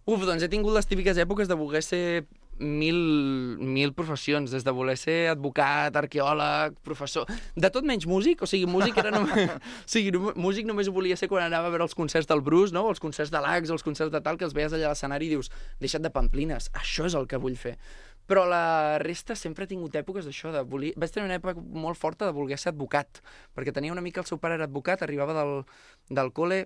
Doncs he tingut les típiques èpoques de voler ser mil professions, des de voler ser advocat, arqueòleg, professor... De tot menys músic, o sigui, músic era només... o sigui, músic només ho volia ser quan anava a veure els concerts del Bruce, no? O els concerts de l'Ax, o els concerts de tal, que els veies allà a l'escenari i dius, deixa't de pamplines, això és el que vull fer. Però la resta sempre he tingut èpoques d'això, de voler... Vaig tenir una època molt forta de voler ser advocat, perquè tenia una mica, el seu pare era advocat, arribava del col·le,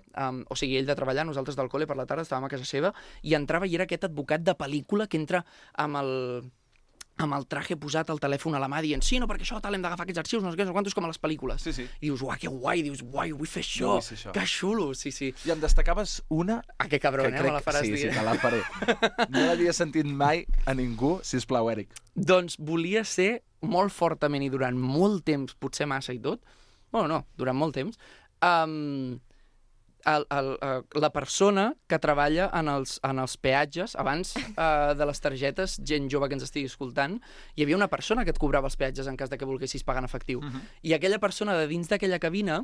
o sigui, ell de treballar, nosaltres del col·le per la tarda, estàvem a casa seva, i entrava i era aquest advocat de pel·lícula que entra amb el traje posat al telèfon a la mà dient sí, no, perquè això tal, hem d'agafar aquests arxius, no sé què, no sé quantos, com a les pel·lícules. Sí, sí. I dius, uah, que guai, dius, uai, vull fer això, vull ser això. que xulo, sí, sí. I em destacaves una... Ah, que cabron, me la faràs dir. Sí, te la faré. No l'havia sentit mai a ningú, sisplau, Eric. Doncs volia ser molt fortament i durant molt temps, potser massa i tot, bueno, no, durant molt temps, la persona que treballa en els peatges, abans de les targetes, gent jove que ens estigui escoltant, hi havia una persona que et cobrava els peatges en cas de que volguessis pagar en efectiu. I aquella persona de dins d'aquella cabina,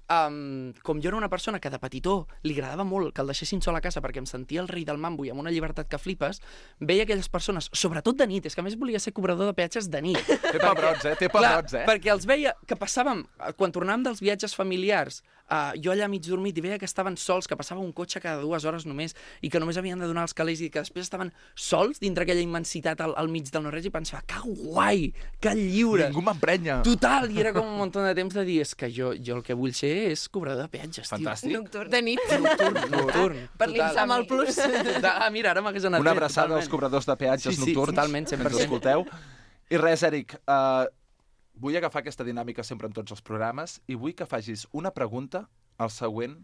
com jo era una persona que de petitó li agradava molt que el deixessin sol a casa perquè em sentia el rei del mambo i amb una llibertat que flipes, veia aquelles persones, sobretot de nit, és que a més volia ser cobrador de peatges de nit. Té pebrots, eh? Té pebrots, eh? Perquè els veia que passàvem, quan tornàvem dels viatges familiars, jo allà mig dormit i veia que estaven sols, que passava un cotxe cada 2 hores només i que només havien de donar els calés i que després estaven sols dintre aquella immensitat al mig del no-res i pensava, que guai, que lliure. Ningú m'emprenya. Total, i era com un munt de temps de dir, és que jo el que vull ser és cobrador de peatges, Fantàstic. Nocturn. De nit. Nocturn. Per l'insomni. Amb el plus. Mira, ara m'hagués anat Una bé, abraçada totalment. als cobradors de peatges Sí, nocturns. totalment, que 100%. ens escolteu. I res, Eric, vull agafar aquesta dinàmica sempre en tots els programes i vull que facis una pregunta al següent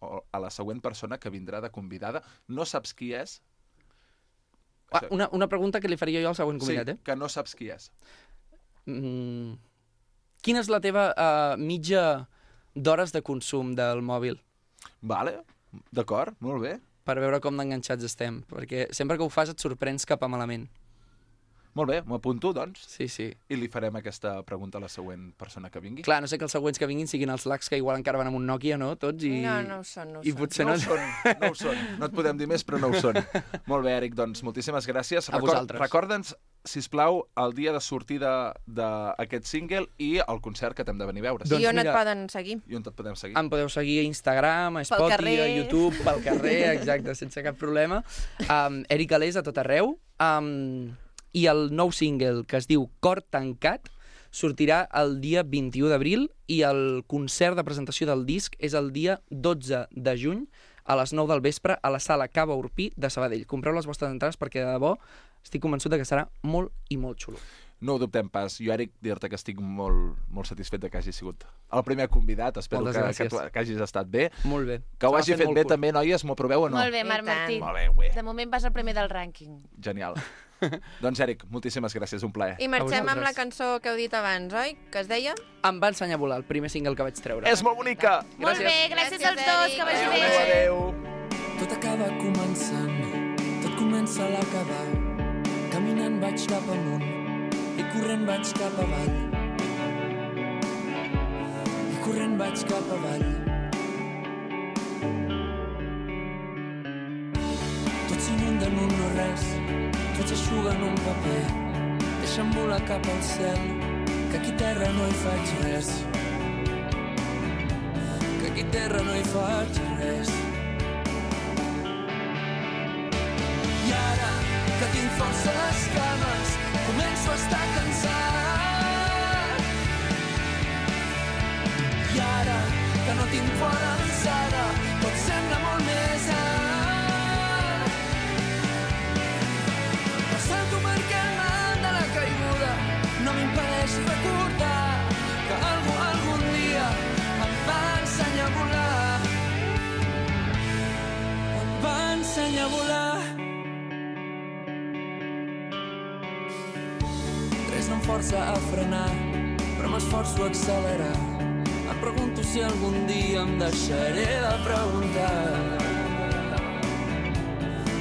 o a la següent persona que vindrà de convidada. No saps qui és? Una pregunta que li faria jo al següent convidat, Sí, que no saps qui és. Quina és la teva mitja d'hores de consum del mòbil? Vale, d'acord, molt bé. Per veure com d'enganxats estem. Perquè sempre que ho fas et sorprens cap a malament. Molt bé, m'ho apunto, doncs, Sí, sí. i li farem aquesta pregunta a la següent persona que vingui. Clar, no sé que els següents que vinguin siguin els lacs que igual encara van amb un Nokia, no? Tots i... No ho són, no ho I són. potser No no... ho són, no ho són. No et podem dir més, però no ho són. Molt bé, Eric, doncs moltíssimes gràcies. A vosaltres. Recorda'ns, sisplau, el dia de sortida d'aquest single i el concert que t'hem de venir a veure. Doncs I on mira, et poden seguir? I on et podem seguir? Em podeu seguir a Instagram, a Pel Spotify, carrer. a YouTube, pel carrer, exacte, sense cap problema. Eric Alés a tot arreu. I el nou single, que es diu Cor tancat, sortirà el dia 21 d'abril i el concert de presentació del disc és el dia 12 de juny a les 9 del vespre a la sala Cava Urpí de Sabadell. Compreu les vostres entrades perquè, de debò, estic convençut que serà molt i molt xulo. No ho dubtem pas. Jo, Eric, dir-te que estic molt, molt satisfet de que hagi sigut el primer convidat. Espero Moltes gràcies. que hagis estat bé. Molt bé. Que ho hagi fet bé també, noies. M'ho aproveu o no? Molt bé, Marc I tant. Martí. Molt bé, güey. De moment vas al primer del rànquing. Genial. Doncs, Eric, moltíssimes gràcies. Un plaer. I marxem amb vosaltres. la cançó que heu dit abans, oi? Que es deia? Em va ensenyar a volar, el primer single que vaig treure. És molt bonica! Molt bé, gràcies als dos, que vagi bé. Adéu. Tot acaba començant, tot comença a l'acabar. Caminant vaig cap amunt i corrent vaig cap avall. corrent vaig cap avall. Tot s'inunda en un no res, tot s'eixuga en un paper. Deixa'm volar cap al cel, que aquí terra no hi faig res. Que aquí terra no hi faig res. I ara que tinc força a les cames, començo a estar cansat. I ara que no tinc por alçada, tot sembla molt més alt. Però salto perquè el mal de la caiguda no m'impedeix recordar que algun dia em va ensenyar a volar. Em va ensenyar a volar. Res no em força a frenar, però m'esforço a accelerar. Em pregunto si algun dia em deixaré de preguntar.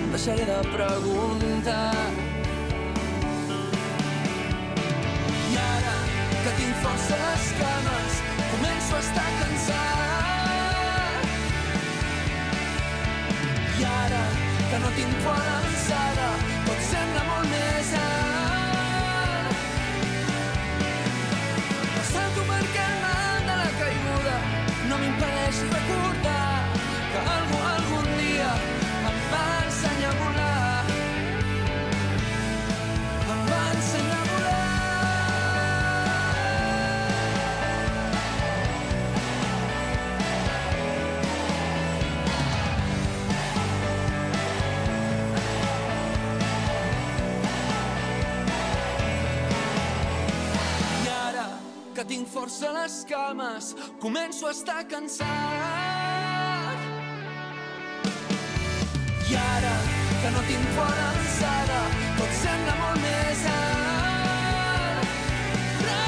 Em deixaré de preguntar. I ara que tinc força a les cames, començo a estar cansat. I ara que no tinc por alçada, tot sembla molt més alt. Salto perquè el mal de la caiguda no m'impedeix recordar que algun dia em va ensenyar a volar. Em va ensenyar a volar. I ara que tinc força a les cames, començo a estar cansat. I ara que no tinc por alçada, tot sembla molt més alt. Però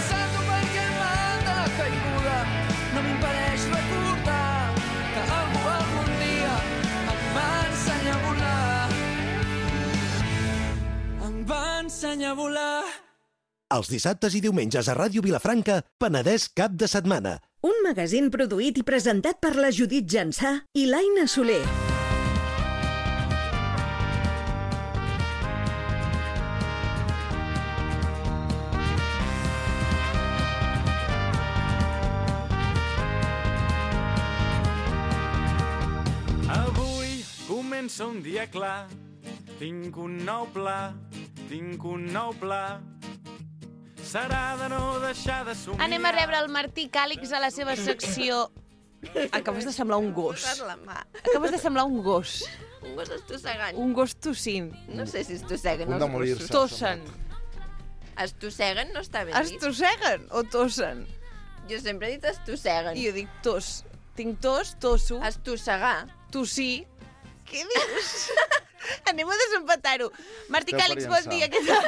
salto perquè el mal de la caiguda no m'impedeix recordar que algun dia em va ensenyar a volar. Em va ensenyar a volar. Els dissabtes i diumenges a Ràdio Vilafranca, Penedès cap de setmana. Un magazín produït i presentat per la Judit Jansà i l'Aina Soler. Avui comença un dia clar, tinc un nou pla, serà de no deixar de somiar. Anem a rebre el Martí Càlix a la seva secció... Acabes de semblar un gos. Posar la mà. Acabes de semblar un gos. Un gos estossegant. Un gos tossint. No sé si estosseguen Punt els de morir-se. gossos. Tossen. Estosseguen no està ben dit. Estosseguen o tossen? Jo sempre he dit estosseguen. I jo dic tos. Tinc tos, tosso, Estossegar. tossir. Què dius? Anem a desempatar-ho. Martí Què Càlix, faríem, bon dia, què tal?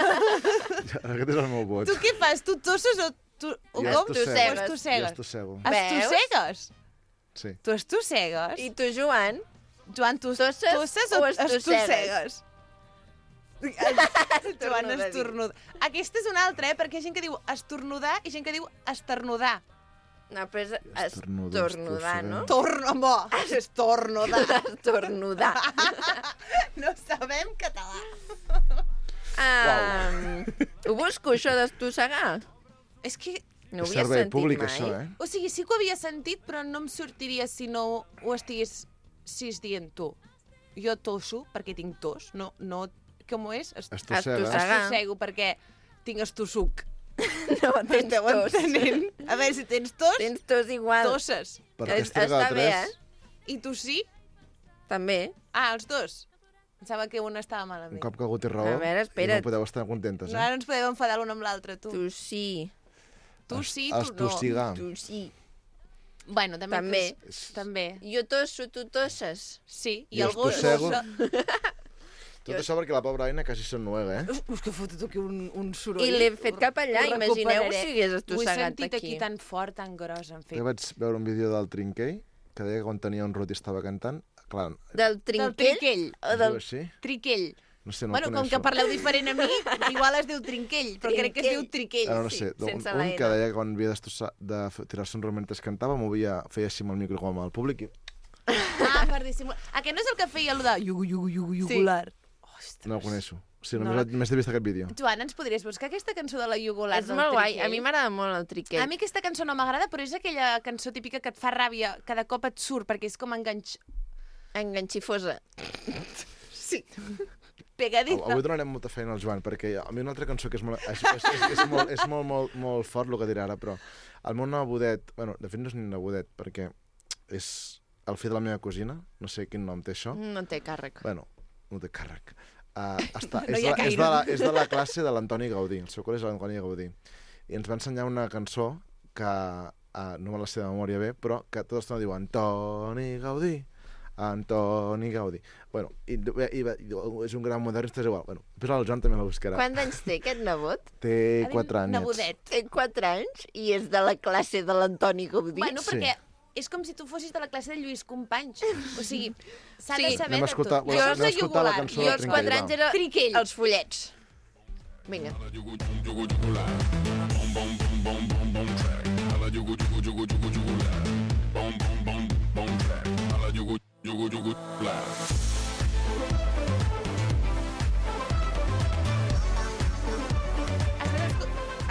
Aquest és el meu vot. Tu què fas? Tu tosses o tu... O Jo com? estossegues. Estossegues. Jo estossego. Estossegues? Sí. Tu estossegues? I tu, Joan? Joan, tu Tosses tosses o o estossegues? Joan, estornudar. Aquesta és una altra, perquè hi ha gent que diu estornudar i gent que diu esternudar. No, però és Estornudar, estornudar, no? Home, estornudar. Estornudar. No sabem català. Ho busco, això d'estossegar? És que, No ho És havia servei sentit públic, mai. això, eh? o sigui, sí que ho havia sentit, però no em sortiria si no ho estigués dient tu. Jo tosso perquè tinc tos, no, com és? Estossega. Estossegar. Estossego perquè tinc estossuc. No, tens Esteu tos. entenent? A veure, si tens tos, Tens tos igual. tosses. Per què estrega Està bé, tres? eh? I tu sí? També. Ah, els dos. Pensava que un estava Un malament. cop que algú té raó, A veure, espera't. no podeu estar contentes, No, eh? ara ens podem enfadar l'un amb l'altre, tu. Tu sí. Tu sí, tu no. Estossigar. Tu sí. Bueno, també. També. També. Jo tosso, tu tosses. Sí, i Jo el gos... estossego. tossa. Tot això perquè la pobra Aina quasi s'ennuega, eh? Uf, que fotut aquí un soroll. I l'he fet cap allà, Ho imagineu recuperaré. si hagués Ho he estossegat sentit aquí aquí. tan fort, tan gros, en Jo fet. vaig veure un vídeo del Trinquell que deia que quan tenia un rot i estava cantant, clar, Del Del trinquell? triquell. O es del... diu així? Triquell. No sé, no Bueno, el com coneixo. que parleu diferent a mi, igual es diu Trinquell, però crec que es diu Triquell. No sé, sense un la que N. deia que quan havia de tirar-se un raó mentre cantava, feia així amb el micro com al públic i Ah, per dissimular. Aquest no és el que feia el de yugular? no el coneixo. Sí, No, només he vist aquest vídeo. Joan, ens podries buscar aquesta cançó de la yugular És del molt guai. Triquell? A mi m'agrada molt el Triquell. A mi aquesta cançó no m'agrada, però és aquella cançó típica que et fa ràbia, cada cop et surt, perquè és com Enganxifosa. Sí. Pegadiza. Avui donarem molta feina al Joan, perquè a mi una altra cançó que és molt fort el que dirà ara, però el meu nebodet, bueno, de fet no és ni nebodet, perquè és el fill de la meva cosina, no sé quin nom té això. No té càrrec. Bueno, no té càrrec. És de la classe de l'Antoni Gaudí, el seu col·lega és l'Antoni Gaudí. I ens va ensenyar una cançó que no me la sé de memòria bé, però que tota l'estona diu Antoni Gaudí. Bueno, i és un gran modernista, és igual. Bueno, després el Joan també la buscarà. Quants anys té aquest nebot? Té 4 anys. Nebodet. Té 4 anys i és de la classe de l'Antoni Gaudí. Bueno, perquè és com si tu fossis de la classe de Lluís Companys. O sigui, s'ha de saber Anem a de escoltar- tot. anem a escoltar la cançó Jo de als Trinquell, 4 anys era Triquell. els follets. Vinga.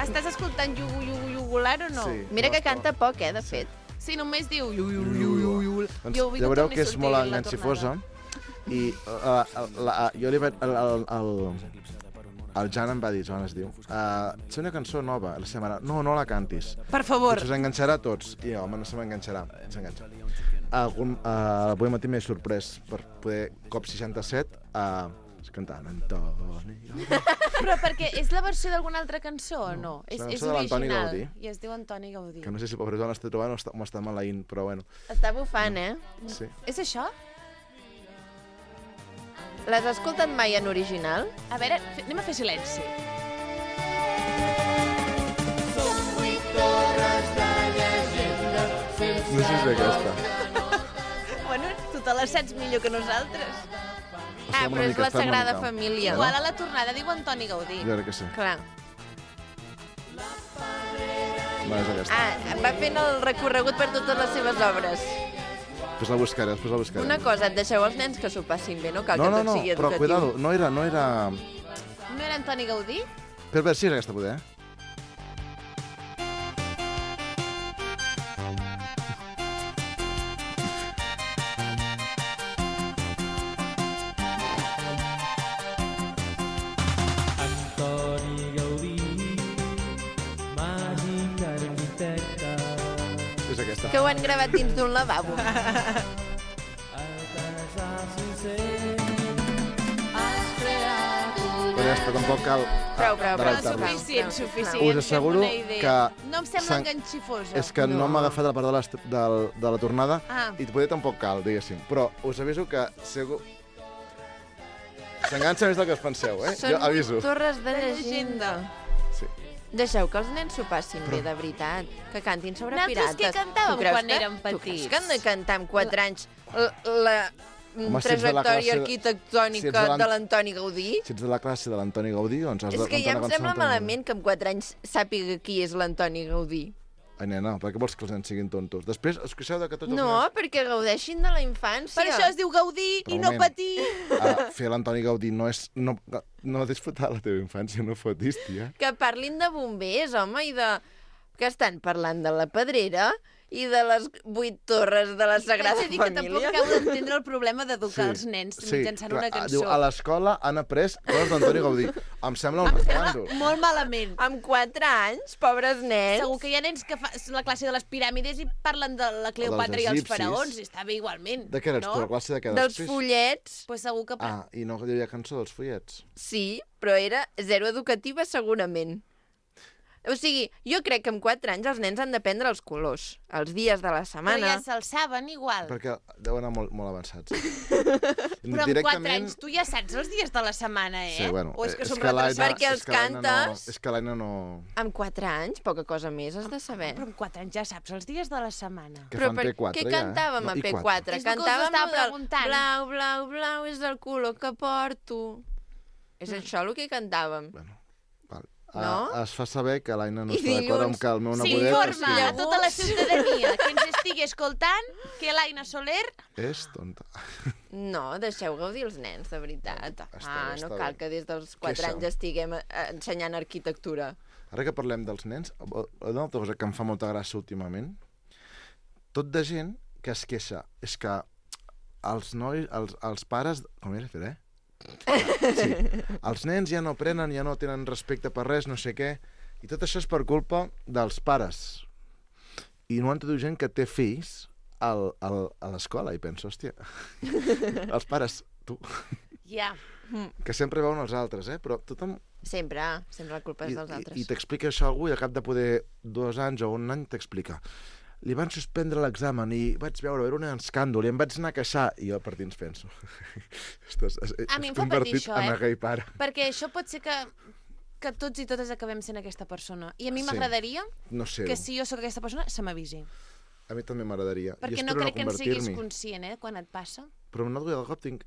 Estàs escoltant yugular o no? Sí. Mira que canta poc, de fet. Sí, només diu yugular. Doncs ja veureu que és molt enganxifosa i jo li vaig... El Jan em va dir, Joan es diu, sé una cançó nova, la seva mare, no la cantis. Per favor. Us enganxarà a tots. I jo, home, no se m'enganxarà. S'enganxa. Avui matí m'he sorprès per poder, cop 67, cantant Antoni Gaudí. Però perquè és la versió d'alguna altra cançó o no? és la És cançó de l'Antoni original. Gaudí. I es diu Antoni Gaudí. Que no sé si pobre Joan l'està trobant o m'està maleint, però bueno. Està bufant, Sí. És això? L'has escoltat mai en original? A veure, anem a fer silenci. No sé si és aquesta. Bueno, tu te la saps millor que nosaltres. Però és la Sagrada Família. Igual a la tornada diu Antoni Gaudí. Jo crec que sí. Clar. No, és aquesta. Va fent el recorregut per totes les seves obres. Després la buscaré. Una cosa, et deixeu els nens que s'ho passin bé, no cal No, que tot sigui però educatiu. cuidado, no era... No era Antoni Gaudí? Per veure si és aquesta, poder. Antoni Gaudí, màgic arquitecte. És aquesta. Que ho han gravat dins d'un lavabo. Però ja està, tampoc cal Prou. adaptar-la. Suficient. Us asseguro fem una idea. que No em sembla s'han- enganxifosa. És que no m'ha agafat la part de la tornada Ah. i poder tampoc cal, diguéssim. Però us aviso que segur... S'enganxa més del que us penseu, Jo aviso. torres de llegenda. Sí. Deixeu que els nens s'ho passin bé, de veritat. Que cantin sobre Nosaltres pirates. què cantàvem Tu creus quan que- érem Tu creus petits? que hem de cantar amb 4 anys la Home, si ets de la trajectòria classe- si arquitectònica ets de l'Antoni Gaudí? Si ets de la classe de l'Antoni Gaudí, doncs has de És que ja cantar em una cançó sembla d'Antoni malament que amb 4 anys sàpiga qui és l'Antoni Gaudí. Ai, nena, per què vols que els nens siguin tontos? Després, us queixeu de que tots els No, nens... perquè gaudeixin de la infància. Per això es diu Gaudí Però i un no moment. patir. Fer l'Antoni Gaudí no és... No disfrutar la teva infància, no fotis, tia. Que parlin de bombers, home, i de... Que estan parlant de la Pedrera i de les 8 torres de la Sagrada T'haig de dir que tampoc Família. acabo d'entendre el problema d'educar els nens mitjançant una clar, cançó. Diu, a l'escola han après coses d'Antoni Gaudí. Em sembla un escàndol. Molt malament. Amb 4 anys, pobres nens. Segur que hi ha nens que fan la classe de les piràmides i parlen de la Cleopatra i els egipcis. faraons, i està bé igualment. De què eres, no? tu? La classe de què? Dels follets. Pues segur que... I no hi havia cançó dels follets? Sí, però era zero educativa segurament. O sigui, jo crec que amb 4 anys els nens han d'aprendre els colors, els dies de la Però setmana. ja se'ls saben igual. Perquè deuen anar molt avançats. Però amb 4 anys tu ja saps els dies de la setmana, Sí, bueno, O és que som l'Aina- retrasats? Perquè els és que l'Aina cantes- No, és que l'Aina no... Amb 4 anys, poca cosa més has de saber. Però amb 4 anys ja saps els dies de la setmana. Que Però fan P4 què ja, cantàvem No, a i P4? És el que us Cantàvem estava el del preguntant. blau, blau, blau és el color que porto. És això el que cantàvem. Bueno, No? Es fa saber que l'Aina no I està d'acord amb dilluns que el meu nebodet... S'informa a tota la ciutadania que ens estigui escoltant que l'Aina Soler... És tonta. No, deixeu gaudir els nens, de veritat. Està No bé. cal que des dels 4 anys estiguem ensenyant arquitectura. Ara que parlem dels nens, una altra cosa que em fa molta gràcia últimament, tot de gent que es queixa, és que els nois, els pares... Com era, Fer, Sí. Els nens ja no aprenen, ja no tenen respecte per res, no sé què, i tot això és per culpa dels pares. I no entro gent que té fills a l'escola i penso, hòstia, els pares, tu, Ja. que sempre veuen els altres, però tothom... Sempre la culpa és dels altres. I t'explica això a algú i al cap de poder 2 anys o 1 any t'explica. Li van suspendre l'examen i vaig veure, era un escàndol, i em vaig anar a queixar, i jo per dins penso. A mi em fa patir això, en aquell pare. Perquè això pot ser que tots i totes acabem sent aquesta persona. I a mi Sí. m'agradaria No sé, que si jo sóc aquesta persona, se m'avisi. a mi també m'agradaria. Perquè no crec que en siguis conscient, quan et passa. Però no de cop tinc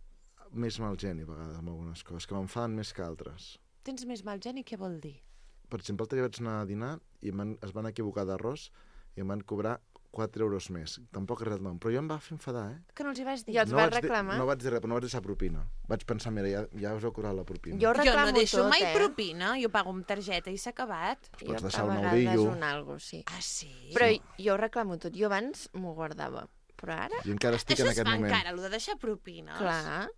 més mal geni a vegades amb algunes coses, que m'enfaden més que altres. Tens més mal geni, què vol dir? Per exemple, l'altre dia vaig anar a dinar i es van equivocar d'arròs i em van cobrar 4 euros més. Tampoc res del nom, però jo em va fer enfadar, Que no els hi vas dir? I els vas reclamar? No vaig dir res, però no vaig deixar propina. Vaig pensar, mira, ja us heu cobrat la propina. Jo reclamo no deixo tot, mai propina, jo pago amb targeta i s'ha acabat. Pots deixar a un vegades eudillo. un algo, sí. Ah, sí? Però jo reclamo tot. Jo abans m'ho guardava. Però ara... I encara estic Això en es aquest fa moment. encara, allò de deixar propines. Clar.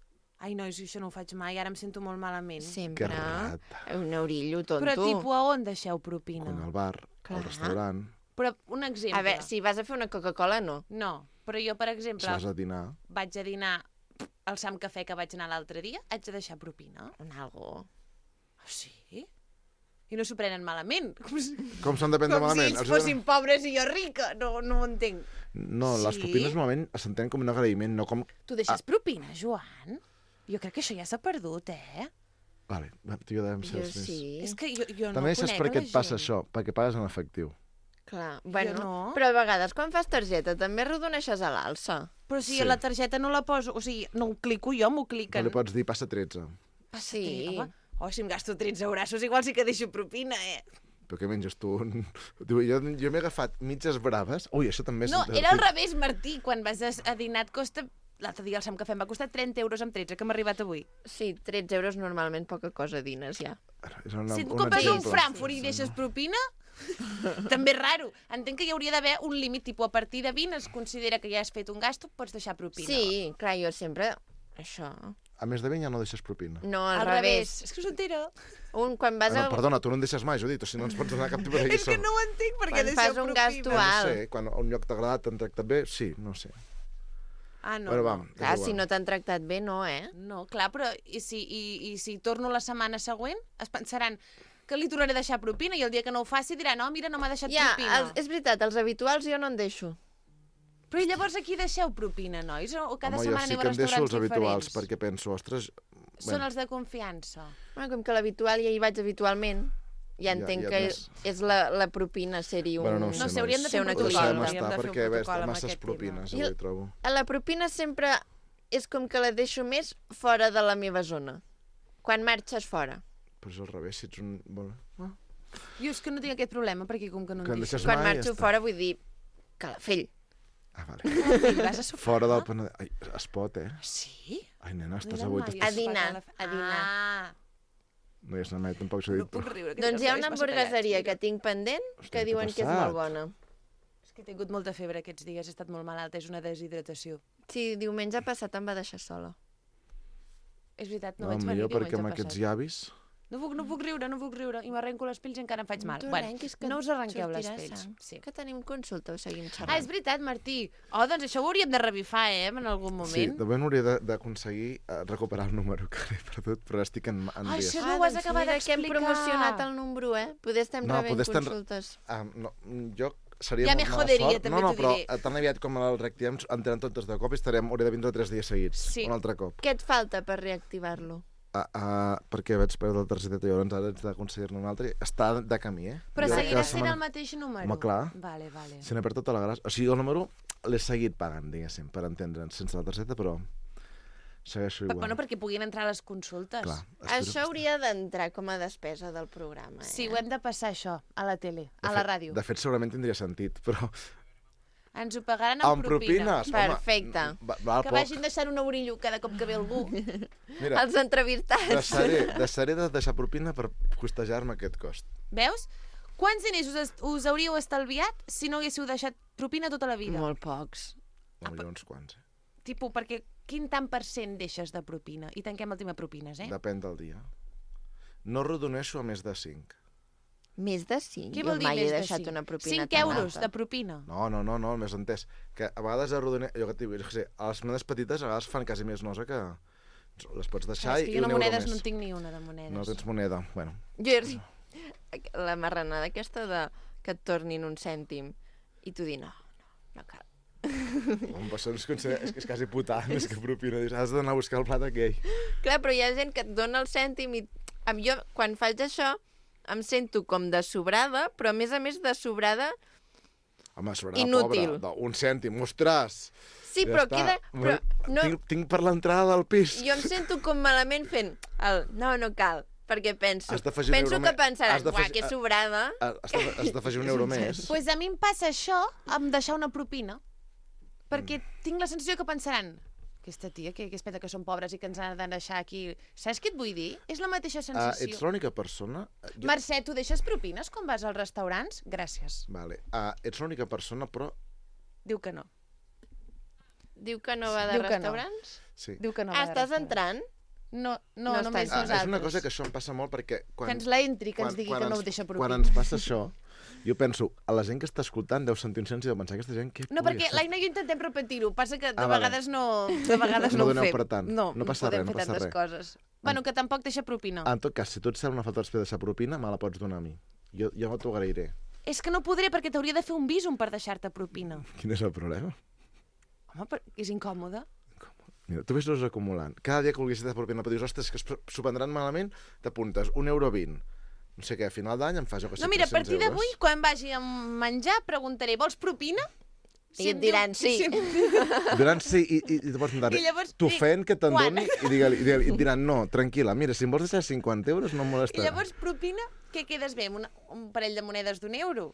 Ai, nois, això no ho faig mai, ara em sento molt malament. Sempre. Que rata. Un eurillo, tonto. Però, tipus, a on deixeu propina? Quan al bar, al restaurant, Però, un exemple. A veure, si vas a fer una Coca-Cola, no. No, però jo, per exemple, si vas a dinar... vaig a dinar al Sam Cafè que vaig anar l'altre dia, haig de deixar propina. Un algo. Sí? I no s'ho prenen malament. Com s'han de prendre Com malament? si ells Els fossin pobres i jo rica. No ho entenc. No, les Sí? propines normalment s'entenen com un agraïment, no com... Tu deixes propina, Joan? Jo crec que això ja s'ha perdut, Vale, tu i jo devem ser Jo els més... sí. És que jo no També saps conec per què la et passa gent. això? Perquè pagues en efectiu. Clar. Bueno, no. però a vegades quan fas targeta també rodoneixes a l'alça. Però si Sí. la targeta no la poso, o sigui, no ho clico jo, m'ho No cliquen. li pots dir passa 13. Sí. Home, si em gasto 13 eurassos, igual sí que deixo propina, Però què menges tu? Diu, jo m'he agafat mitges braves. Ui, això també és... No, era al revés, Martí. Quan vas a dinar et costa... L'altre dia al Sam Cafè em va costar 30 euros amb 13, que m'ha arribat avui. Sí, 13 euros normalment poca cosa dines ja. És una, Si et un compres un exemple. Frankfurt i deixes propina, també és raro. Entenc que hi hauria d'haver un límit, tipus, a partir de 20 es considera que ja has fet un gasto, pots deixar propina. Sí, clar, jo sempre... Això... A més de 20 ja no deixes propina. No, Al revés. És que us entera. Quan vas No, a... perdona, tu no en deixes mai, Judit, o si no ens pots donar cap tipus de És lliçó. que no ho entenc, perquè Quan deixeu fas un propina. gasto No alt. sé, quan a un lloc t'ha agradat, t'han tractat bé, sí, no sé. Ah, no. Bueno, no. va, Clar, és si igual. no t'han tractat bé, no, No, clar, però i si torno la setmana següent, es pensaran que li tornaré a deixar propina i el dia que no ho faci diran, no, mira, no m'ha deixat Ja, propina. és veritat, els habituals jo no en deixo. Però i llavors aquí deixeu propina, nois? O cada Home, jo setmana sí aneu que a en deixo restaurants els habituals, diferents? perquè penso, ostres... Són els de confiança. Bueno, com que l'habitual ja hi vaig habitualment, ja entenc ja que més. és la propina ser-hi un... Bueno, no ho sé, No sé, hauríem de fer ser un una Ho protocol. deixem activitat. Hauríem estar, de fer un perquè ves, protocol amb masses aquest propines, tema. avui trobo. A la propina sempre és com que la deixo més fora de la meva zona. Quan marxes fora. Però és al revés, si ets un... Bueno, Jo és que no tinc aquest problema, perquè com que no que en en deixo. deixes Quan mai, marxo ja està. fora vull dir Calafell. Ah, vale. Vas a sopar? Fora del Penedès. Ai, es pot, Sí? Ai, nena, estàs No he avui... anat mai A sopar dinar, Calafell. a dinar. Ah, No hi has anat mai, tampoc s'ho he no dit. puc riure. que Doncs tinc hi ha els una llavis massa hamburgueseria tallats. que tinc pendent Hòstia, que què diuen t'ha que és passat? molt bona. És que he tingut molta febre aquests dies, he estat molt malalta, és una deshidratació. Sí, diumenge passat em va deixar sola. És veritat, no, No, vaig venir millor perquè amb diumenge aquests passat. llavis... No puc riure, i m'arrenco les pells i encara em faig mal. Tu Bueno, arrenquis que no us arrenqueu les sortirà pells. sang. Sí. Que tenim consulta o seguim Ah, xerrant? és veritat, Martí. Oh, doncs això ho hauríem de revifar, en algun Sí, moment. de moment hauria d'aconseguir recuperar el número que l'he perdut, però estic en Ai, dies. això no ho has doncs acabat mira que hem d'explicar. promocionat el número, Poder estem No, rebent poder estar- consultes. No, jo seria Ja molt me mala joderia, sort. també No, t'ho però diré. tan aviat com el reactivem, en tenen totes de cop i hauré de vindre 3 dies seguits. Sí. Un altre cop. Què et falta per reactivar-lo? Perquè vaig perdre la targeta i llavors ara haig d'aconseguir-ne una altra. Està de camí, Però Jo crec que seguirà la sent setmana- el mateix número? Home, clar. Vale. Se n'ha perdut tota la gràcia. O sigui, el número l'he seguit pagant, diguéssim, per entendre'ns, sense la targeta, però segueixo igual. Bueno, perquè puguin entrar a les consultes. Clar, Això hauria d'entrar com a despesa del programa. Sí, ho hem de passar, això, a la tele, a la ràdio. De fet, segurament tindria sentit, però... Ens ho pagaran amb propina. propines? Perfecte. Val Que vagin deixant un eurillo cada cop que ve algú. Mira, Els entrevistats. deixaré de deixar propina per costejar-me aquest cost. Veus? Quants diners us hauríeu estalviat si no haguéssiu deixat propina tota la vida? Molt pocs. Potser uns quants. Tipo, perquè quin tant per cent deixes de propina? I tanquem el tema propines, eh? Depèn del dia. No rodoneixo a més de 5. Més de 5? Què vol dir mai he més de deixat 5? una propina 5 tan euros alta. de propina. No, més entès. Que a vegades arrodoneixo... Jo que et dic, jo què sé, a les monedes petites a vegades fan quasi més nosa que... Les pots deixar És que i jo un de euro monedes més. no en tinc ni una, de monedes. No tens moneda, bueno. Jo la marranada aquesta de que et tornin un cèntim i tu dir no cal. Això és quasi putar, més que propina. Dius, has d'anar a buscar el plat aquell. Clar, però hi ha gent que et dona el cèntim i jo, quan faig això, em sento com de sobrada, però a més de sobrada... Home, sobrada inútil. pobra. Un cèntim, ostres! Sí, Ja però està. queda... Però no, Tinc per l'entrada del pis. jo em sento com malament fent el no cal, perquè penso Has d'afegir un penso euro que més. pensaran, Has d'afegir- uah, que sobrada. Has d'afegir un euro més. Pues a mi em passa això amb deixar una propina. Perquè tinc la sensació que pensaran aquesta tia, que es pensa que som pobres i que ens han de deixar aquí... Saps què et vull dir? És la mateixa sensació. Ets l'única persona... Mercè, tu deixes propines quan vas als restaurants? Gràcies. Vale. Ets l'única persona, però... Diu que no. Diu que no va de Diu que no. restaurants? Sí. Diu que no va de Estàs restaurants. entrant? No, No només estàs. nosaltres. És una cosa que això em passa molt perquè... Que ens la entri, que ens digui que no ho deixa propina. Quan ens passa això, jo penso, a la gent que està escoltant deu sentir un sens i deu pensar, aquesta gent què No, perquè l'Aina i jo intentem repetir-ho, passa que de vale. vegades no ho doneu fem. per tant. No passa podem res, no fer passa tantes res. coses. Bueno, que tampoc deixa propina. En tot cas, si tu et sembla una falta de deixar propina, me la pots donar a mi. Jo t'ho agrairé. És que no podré perquè t'hauria de fer un bísum per deixar-te propina. Quin és el problema? Home, és incòmode. Mira, tu ves-los acumulant. Cada dia que vulguis de propina, però dius, ostres, que s'ho prendran malament, t'apuntes €1. No sé què, a final d'any em fas, jo que sé, No, mira, a 300 partir d'avui, euros. quan vagi a menjar, preguntaré, vols propina? I et diran sí. Diran sí, i llavors em I diran, llavors t'ofèn que te'n quan? doni, i et diran, no, tranquil·la, mira, si em vols deixar 50 euros no em I molestarà. llavors, propina, què quedes bé? Un parell de monedes d'1 €?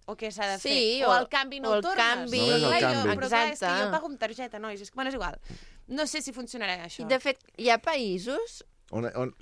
O què s'ha de fer? Sí, o el canvi no o el el tornes? canvi. No, és el Clar, canvi. però clar, és que Exacte. jo pago amb targeta, nois. Bueno, és igual. No sé si funcionarà això. De fet, hi ha països...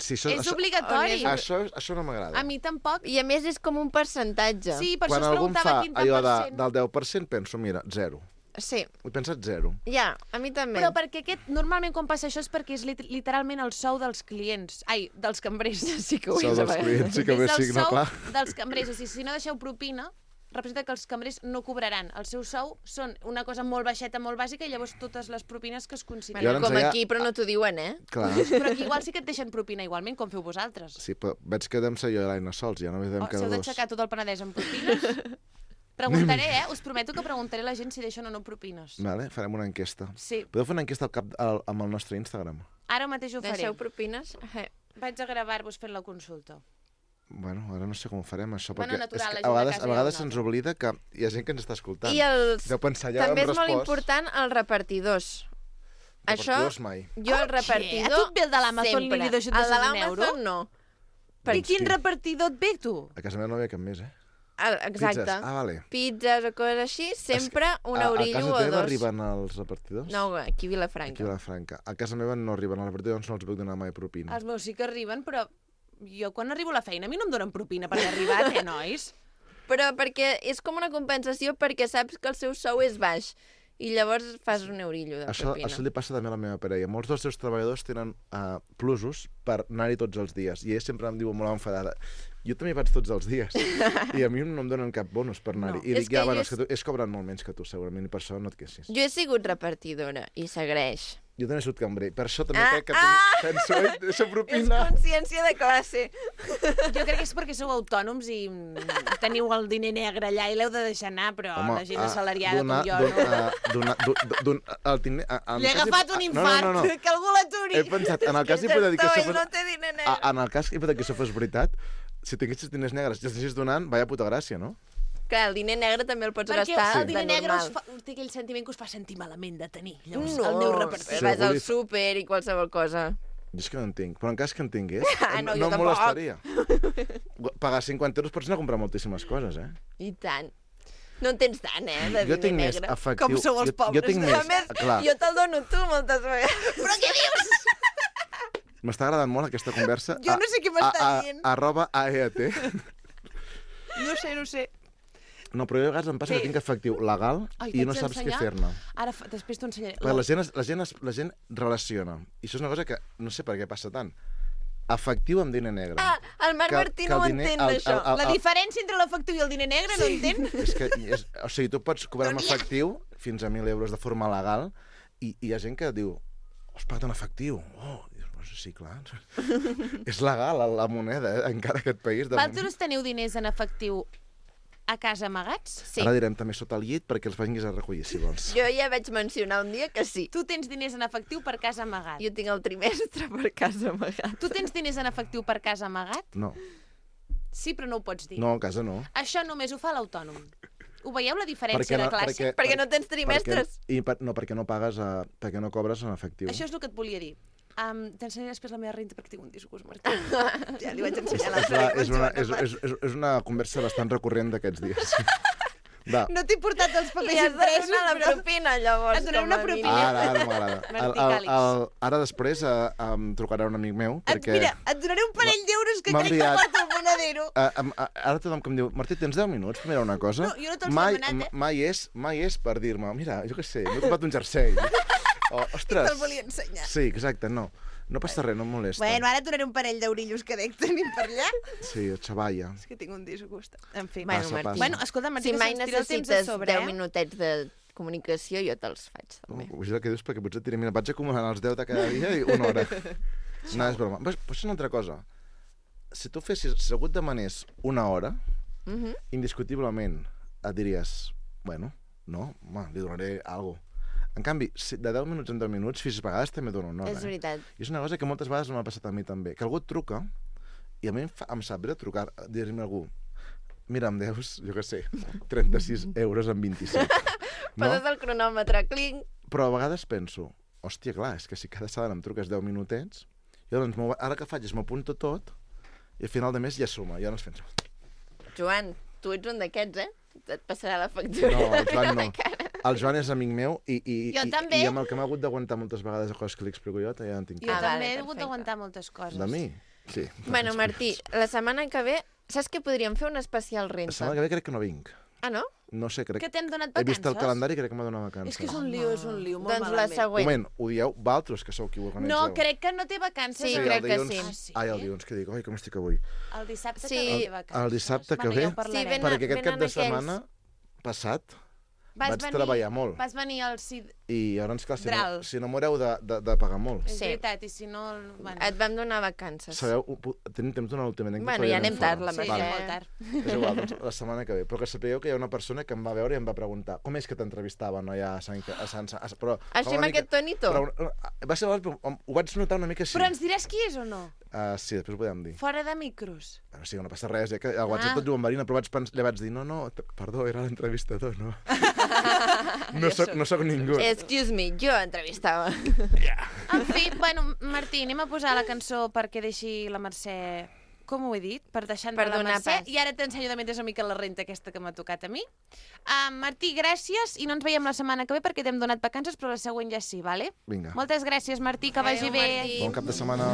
Si És obligatori. Això no m'agrada. A mi tampoc. I a més és com un percentatge. Sí, per Quan això es algú em preguntava fa quin tant allò per cent. del 10%, penso, mira, 0. Sí, He pensat 0. ja, a mi també. Però perquè normalment quan passa això és perquè és literalment el sou dels clients. Ai, dels cambrers. Sí que Sou dels clients, sí que és bé, el sí, no, sou clar. dels cambrers. O sigui, si no deixeu propina, representa que els cambrers no cobraran. El seu sou són una cosa molt baixeta, molt bàsica, i llavors totes les propines que es I ara consideren. ens Com deia- aquí, però no t'ho diuen, eh? Clar. Però aquí igual sí que et deixen propina igualment, com feu vosaltres. Sí, però veig que devem ser jo i l'Aina sols, ja no devem Si quedar heu dos. d'aixecar tot el Penedès amb propines... Preguntaré, us prometo que preguntaré a la gent si deixen o no propines. Vale, farem una enquesta. Sí. Podeu fer una enquesta amb el nostre Instagram? Ara mateix ho faré. Deixeu propines? Vaig a gravar-vos fent la consulta. Bueno, ara no sé com ho farem, això, Bueno, perquè natural, és la que gent a de vegades, casa a ja vegades ho se'ns nota. oblida que hi ha gent que ens està escoltant. I els... Deu pensar, ja també hem és molt respost. important els repartidors. Repartidors mai. Jo el repartidor... A tu et ve el de l'Amazon i li deixes El de un l'Amazon euro? no. I quin repartidor et ve, tu? A casa meva no hi havia cap més, eh? Exacte. Pizzas. Vale. Pizzas o coses així, sempre un eurillo o A casa teva dos. arriben els repartidors? No, aquí a Vilafranca. Aquí a Vilafranca. A casa meva no arriben els repartidors, no els puc donar mai propina. Els meus sí que arriben, però jo quan arribo a la feina a mi no em donen propina per haver arribat, nois? Però perquè és com una compensació perquè saps que el seu sou és baix i llavors fas un eurillo de propina. Això li passa també a la meva parella. Molts dels seus treballadors tenen plusos per anar-hi tots els dies. I ell sempre em diu molt enfadada, jo també vaig tots els dies. I a mi no em donen cap bonus per anar-hi. I dic, ja, bueno, és que tu, cobren molt menys que tu, segurament, i per això no et queixis. Jo he sigut repartidora i segueix. Jo també he sigut cambrer. Per això també crec que penso, deixa propina. És consciència de classe. Jo crec que és perquè sou autònoms i teniu el diner negre allà i l'heu de deixar anar, però la gent assalariada com jo no. Li he agafat un infart, que algú l'aturi. He pensat, en el cas hipotètic que això fos... No té diner negre. En el cas hipotètic que això fos veritat, si tinguessis diners negres i els deixis donant, vaya puta gràcia, no? Clar, el diner negre també el pots Perquè gastar el diner de negre normal. té aquell sentiment que us fa sentir malament de tenir. Llavors, No, el aneu repartint. vas al súper i qualsevol cosa. Jo és que no entenc, però en cas que en tingués, No, no jo em tampoc. molestaria. Pagar 50 euros pots anar a comprar moltíssimes coses, eh? I tant. No en tens tant, de Jo diner tinc més negre. efectiu. Com sou els pobres. Jo tinc A més, més, clar. jo te'l dono tu moltes vegades. Però què dius? M'està agradant molt aquesta conversa. Jo no sé què m'està dient. @AEAT. No sé. No, però jo a vegades em passa que tinc efectiu legal i no saps què fer-ne. Ara, després t'ho ensenyaré. La gent relaciona. I això és una cosa que no sé per què passa tant. Efectiu amb diner negre. El Marc Martí no ho entén, això. La diferència entre l'efectiu i el diner negre no entén? És que, o sigui, tu pots cobrar amb efectiu fins a 1.000 euros de forma legal i hi ha gent que diu, has pagat en efectiu. Oh, sí, clar. És legal, la moneda, encara aquest país. Vosaltres teniu diners en efectiu a casa amagats? Sí. Ara direm també sota el llit perquè els vinguis a recollir, si vols. Jo ja vaig mencionar un dia que sí. Tu tens diners en efectiu per casa amagat. Jo tinc el trimestre per casa amagat. Tu tens diners en efectiu per casa amagat? No. Sí, però no ho pots dir. No, a casa no. Això només ho fa l'autònom. Ho veieu, la diferència de classe? Perquè no tens trimestres. Perquè no pagues, perquè no cobres en efectiu. Això és el que et volia dir. T'ensenyaré després la meva renta perquè tinc un disgust, Martí. Ja li vaig ensenyar És una conversa bastant recurrent d'aquests dies. Va. No t'he portat els papers Li has de impresos, donar la propina, llavors. Et donaré una propina. Ara m'agrada. Ara després em trucarà un amic meu. Mira, et donaré un parell d'euros que crec que porta el Monedero. Ara tothom que em diu, Martí, tens 10 minuts per mirar una cosa? No, jo no te'ls he demanat, Mai és per dir-me, mira, jo què sé, m'he comprat un jersei. Ostres. Te'l volia ensenyar. Sí, exacte, no. No passa res, no em molesta. Bueno, ara et donaré un parell d'eurillos que dec tenir per allà. Sí, xavalla. És que tinc un disgust. En fi. Bueno, escolta, Martí, si mai necessites sobre, 10 minutets de comunicació, jo te'ls faig, també. Vull dir el que dius perquè potser et diré, mira, vaig acumulant els 10 de cada dia i una hora. No, és broma. Però és una altra cosa. Si tu algú et demanés una hora, indiscutiblement et diries, bueno, no, home, li donaré alguna cosa. En canvi, de 10 minuts en 10 minuts, fins a vegades també dono una hora. És veritat. I és una cosa que moltes vegades m'ha passat a mi també, que algú et truca, i a mi em sap greu trucar, dir-me a algú, mira, em deus, jo què sé, 36 euros en 27. Poses el cronòmetre, clinc. Però a vegades penso, hòstia, clar, és que si cada setmana em truques 10 minutets, jo doncs ara que faig és m'apunto tot, i al final de mes ja suma, ja no es penso. Joan, tu ets un d'aquests, eh? Et passarà la factura. No, el Joan no. El Joan és amic meu i també. I amb el que m'ha hagut d'aguantar moltes vegades coses que li explico jo, ja en tinc. Jo també he hagut d'aguantar moltes coses. De mi? Sí. Bueno, Martí, la setmana que ve, saps que podríem fer un especial renta? La setmana que ve crec que no vinc. Ah, no? No sé, crec... Que t'hem donat He vist el vacances? calendari i crec que m'ha donat vacances. És que és un lío, molt Doncs malament. la següent. Un moment, ho dieu vosaltres, que sou qui ho organitzeu. No, crec que no té vacances. Sí, crec que sí. Ai, el dilluns, que dic, oi, com estic avui? El dissabte Sí. també té vacances. El dissabte que ve, perquè aquest cap de setmana passat vaig treballar molt. Vas venir al CID. I llavors, clar, Dral. si no m'haureu de pagar molt. És veritat, i si no... Bueno. Et vam donar vacances. Sabeu, tenim temps d'una última anècdota. Bueno, ja anem tard, la Sí, Mercè. molt tard. És igual, doncs, la setmana que ve. Però que sapigueu que hi ha una persona que em va veure i em va preguntar com és que t'entrevistaven allà a Sant... Però, així amb aquest tonito? Va ser, ho vaig notar una mica així. Però ens diràs qui és o no? Sí, després ho podem dir. Fora de micros. Però sí, no passa res, que al WhatsApp tot diu en Marina, però li vaig dir, no, perdó, era l'entrevistador, no. No soc ningú. Excuse me, jo entrevistava. En fi, bueno, Martí, anem a posar la cançó perquè deixi la Mercè... Com ho he dit? Per deixar entrar la Mercè. I ara t'ensenyo també una mica la renta aquesta que m'ha tocat a mi. Martí, gràcies, i no ens veiem la setmana que ve perquè t'hem donat vacances, però la següent ja sí, vale? Vinga. Moltes gràcies, Martí, que vagi bé. Bon cap de setmana.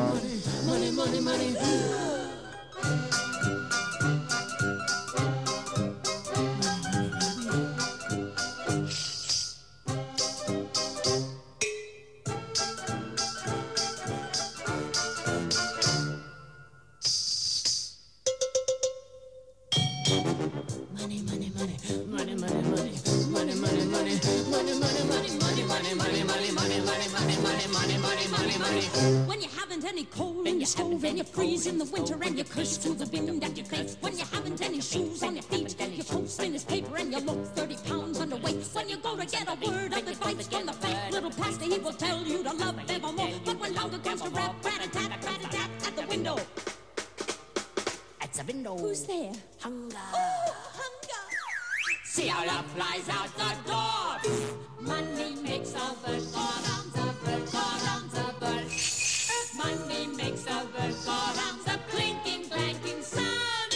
When you haven't any coal in your stove and you freeze in the winter and you curse to the wind at your face. When you haven't any shoes on your feet, your coat's thin as paper and you look 30 pounds underweight. When you go to get a word of advice from the fake little pastor, he will tell you to love evermore. But when louder comes the rap, rat-a-tat at the window. At the window. Who's there? Hunger. Oh, hunger. See how love flies out the door. Money makes a bird go round the bird, go round the bird. Money makes a bird go round the clinking, clanking sound.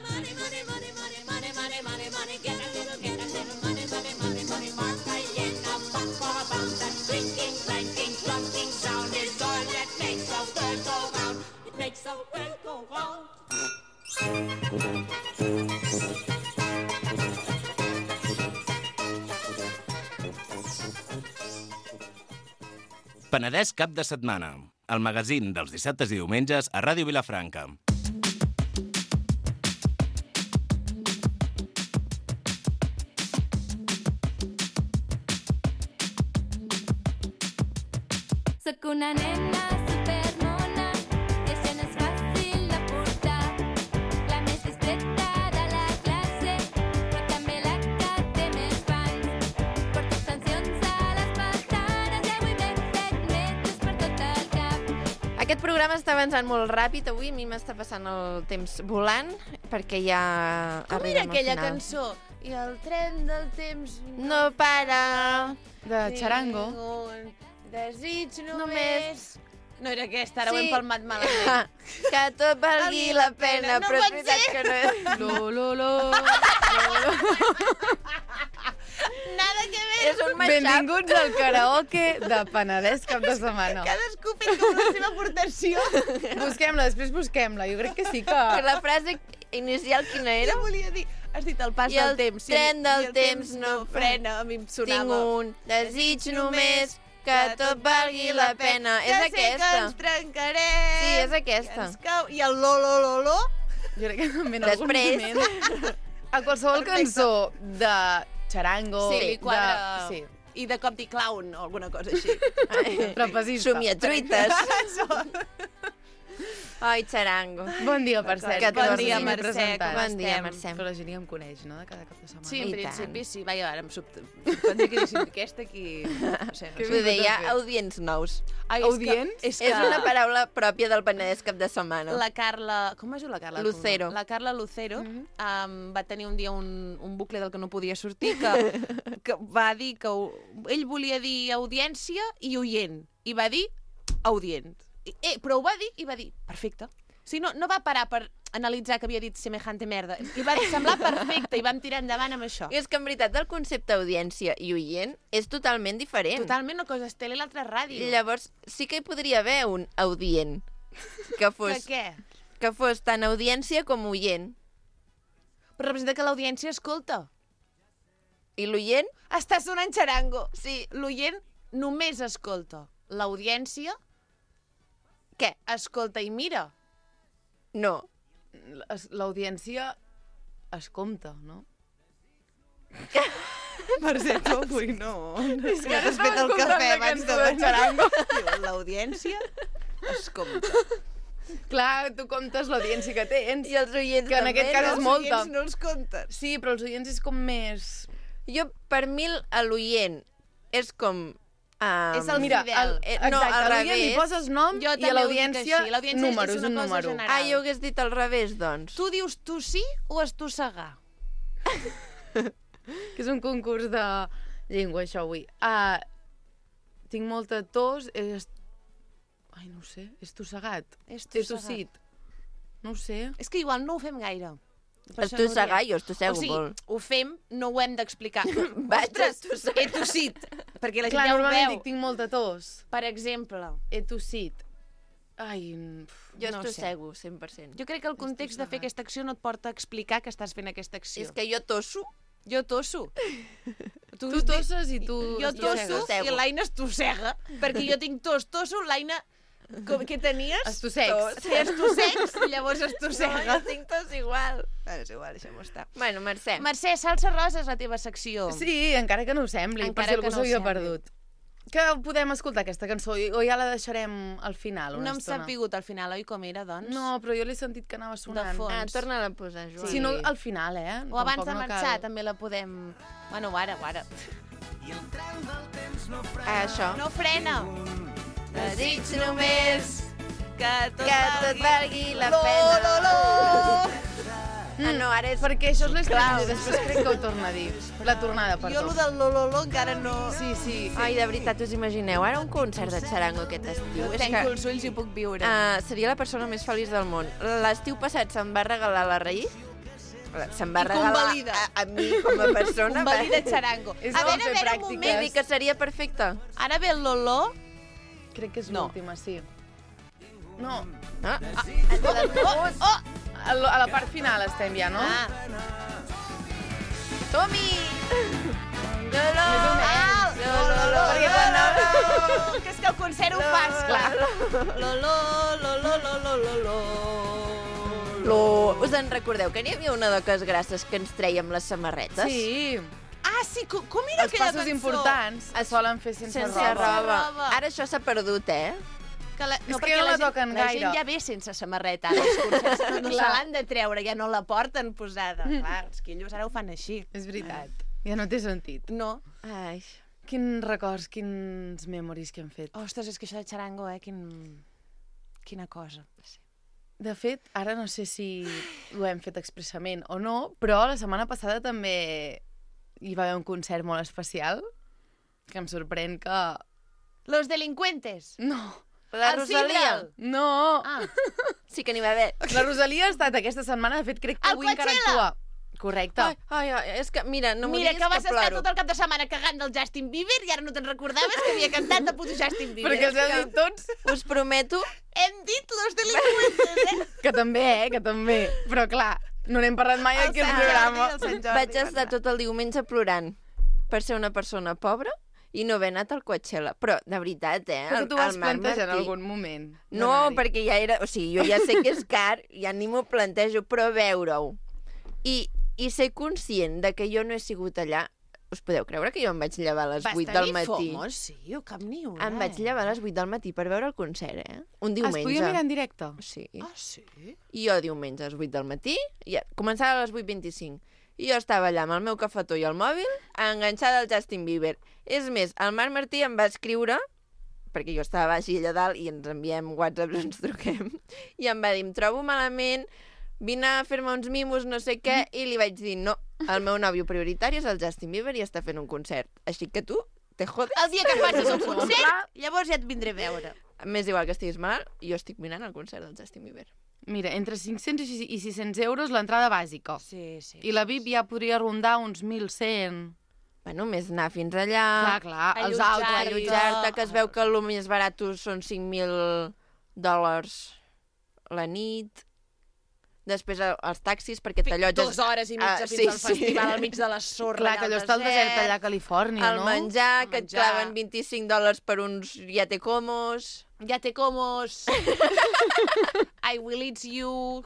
Money, money, money, money, money, money, money, money. Get a little money, money, money, money. Mark a yen, a buck for a pound. That clinking, clanking, clunking sound is all that makes a bird go round. It makes a bird go round. Penedès cap de setmana, el magazín dels dissabtes i diumenges a Ràdio Vilafranca. Soc una nena supermona, i això no és fàcil de portar. La més discreta de la classe, però també la que té més fans. Porto extensions a les pestanes i avui m'he fet metres per tot el cap. Aquest programa està avançant molt ràpid. Avui a mi m'està passant el temps volant, perquè ja Com era arribem al aquella final. cançó? I el tren del temps No para. De Charango. Desig només... No era aquesta, ara ho Sí. hem palmat malament. Que tot valgui la pena, No però és pot veritat ser. que no és... Lo. Nada que ver. És un mashup. Benvinguts al karaoke de Penedès cap de setmana. Cadascú fent com la seva aportació. Busquem-la, després busquem-la. Jo crec que sí que... Però la frase inicial quina era? Què volia dir? Has dit el pas I del el temps. tren del temps no frena. A mi em sonava. Tinc un desig només, que tot valgui la pena. És Ja sé que aquesta. ens trencarem. Sí, és aquesta. I el lo. Jo crec que també en algun Després. moment... A qualsevol cançó de Charango... Sí, li quadra. Sí. I de cop di clown o alguna cosa així. Trapezista. Somiatruites. Ai, Charango. Bon dia, per cert. Que Bon tornis dia, a Mercè, presentar. com Bon dia, estem? Mercè. Però la gent ja em coneix, no?, de cada cap de setmana. Sí, en I principi tant. sí. Vaja, ara em sorprendria que diguessin aquesta aquí... No sé, no sé. Vull dir, hi ha audients nous. Ai, Audients? És que És una paraula pròpia del Penedès cap de setmana. la Carla... Com es diu la Carla? Lucero. La Carla Lucero va tenir un dia un bucle del que no podia sortir que va dir que ell volia dir audiència i oient. I va dir audient. Però ho va dir i va dir perfecte. O sigui, no va parar per analitzar que havia dit semejante merda. Li va semblar perfecte i vam tirar endavant amb això. I és que en veritat el concepte audiència i oient és totalment diferent. Totalment, una cosa és tele i l'altra ràdio. Llavors sí que hi podria haver un audient que fos, Que què? que fos tant audiència com oient. Però representa que l'audiència escolta. I l'oient? Està sonant Charango. Sí. L'oient només escolta. L'audiència, què? Escolta i mira. No. L'audiència es compta, no? Mercè, tu avui no. És que has fet el cafè abans de Charango. L'audiència es compta. Clar, tu comptes l'audiència que tens. I els oients que en també, aquest cas no? és molta. Els oients no els comptes. Sí, però els oients és com més... Jo, per mi, l'oient és com... És el Mira, fidel. No, exacte, al a l'oient li revés. poses nom Jo i també a ho dic l'audiència així. L'audiència números, és una un cosa número. general. Ah, jo hagués dit al revés, doncs. Tu dius tossir o estossegar? Que és un concurs de llengua, això, avui. Tinc molta tos... Ai, no ho sé. És tossegat. És He tossit. No ho sé. És que igual no ho fem gaire. Per això Estossegar, no ho diem. jo estossego O sigui, molt. ho fem, no ho hem d'explicar. Vaig Ostres, estossegar. he tossit. Perquè la gent Clar, ja ho normalment veu. dic, tinc molta tos. Per exemple. He tossit. Ai... Jo no estossego, 100%. Jo crec que el context de fer aquesta acció no et porta a explicar que estàs fent aquesta acció. És que jo tosso. Jo tosso. Tu tosses i tu... Jo tosso Estossego. i l'Aina estossega. Perquè jo tinc tosso, l'Aina... Què tenies? Estossecs. Si estossecs, llavors estossega. No, jo tinc tos igual. És igual, deixem-ho estar. Bueno, Mercè. Mercè, salsa rosa és la teva secció. Sí, encara que no ho sembli, per Encara si que algú no ho s'havia sembli. perdut. Que podem escoltar aquesta cançó o ja la deixarem al final una No hem estona? sapigut al final, oi, com era, doncs? No, però jo l'he sentit que anava sonant. De fons. Ah, torna-la a posar, Joan. Si no, al final, O abans Tampoc de no marxar, cal. també la podem... Bueno, ara. Això. No frena. Desig només que que tot valgui la pena. no, ara és... Perquè això és l'estrany, Clar. després crec que ho torna a dir. La tornada, perdó. Jo, el del Lololo encara no... Sí. Ai, de veritat, us imagineu ara un concert de xarango aquest estiu? Tanco els ulls i puc viure. Seria la persona més feliç del món. L'estiu passat se'm va regalar la Raïs. Se'm va I regalar convalida. a mi com a persona. Convalida xarango. És A bo veure, fer un Vull moment. dir que seria perfecte. Ara ve el Lolo. Crec que és No. l'última, sí. No. Oh! A la part final estem ja, no? Tomi! Lolo! Lolo! Perquè quan Lolo! Que és que el concert ho fas, clar. Lolo, Lolo, Lolo, Lolo. Us en recordeu que n'hi havia una de les grasses que ens treiem les samarretes? Sí. Ah, sí, com era Els aquella passos cançó? importants es solen fer sense Sense roba. roba. Ara això s'ha perdut, Que la, És que no la toquen la gaire. gent ja ve sense samarreta, ara, els concerts no se Clar. l'han de treure, ja no la porten posada. Clar, els quillos ara ho fan així. És veritat. Ja no té sentit. No. Ai. Quins records, quins memoris que hem fet. Ostres, és que això de xarango, quina cosa. De fet, ara no sé si ho hem fet expressament o no, però la setmana passada també hi va haver un concert molt especial que em sorprèn que... Los delincuentes. No. La El Rosalia. Sidral. No. Ah. Sí que n'hi va haver. La Rosalia ha estat aquesta setmana, de fet, crec que El avui encara Coachella. actua. Correcte. Ai, és que, mira, no m'ho Mira, diguis que vas que estar ploro. tot el cap de setmana cagant del Justin Bieber i ara no te'n recordaves que havia cantat de puto Justin Bieber. Perquè els heu dit tots. Us prometo Hem dit los delincuentes, Que també, que també. Però clar, no n'hem parlat mai aquí al programa. vaig estar tot el diumenge plorant per ser una persona pobra i no haver anat al Coachella. Però, de veritat, Perquè tu vas el Marc plantejar en Martí. algun moment. No, perquè ja era... O sigui, jo ja sé que és car, ja ni m'ho plantejo, però veure-ho. I ser conscient de que jo no he sigut allà... Us podeu creure que jo em vaig llevar a les 8 del matí? Fomos, sí, jo cap ni una. Em vaig llevar a les 8 del matí per veure el concert, Un diumenge. Es podia mirar en directe? Sí. Ah, sí? I jo diumenge a les 8 del matí, començava a les 8:25. I jo estava allà amb el meu cafetó i el mòbil, enganxada al Justin Bieber. És més, el Marc Martí em va escriure, perquè jo estava baix i allà dalt, i ens enviem WhatsApps, ens truquem, i em va dir, em trobo malament, vine a fer-me uns mimos, no sé què, i li vaig dir, no, el meu nòvio prioritari és el Justin Bieber i està fent un concert. Així que tu, te jodes. El dia que facis un concert, llavors ja et vindré a veure. M'és igual que estiguis malalt, jo estic mirant el concert del Justin Bieber. Mira, entre 500 i 600 euros l'entrada bàsica. Sí. I la VIP ja podria rondar uns 1.100. Bueno, més anar fins allà... Clar, els altres. Allotjar-te, que es veu que el més barat són $5.000 la nit. Després els taxis, perquè t'allotges... 2 hores i mitja fins al festival al mig de la sorra. Clar, que allò està al desert allà a Califòrnia, el no? menjar, que et claven $25 per uns yatecomos. Yatecomos. I will eat you.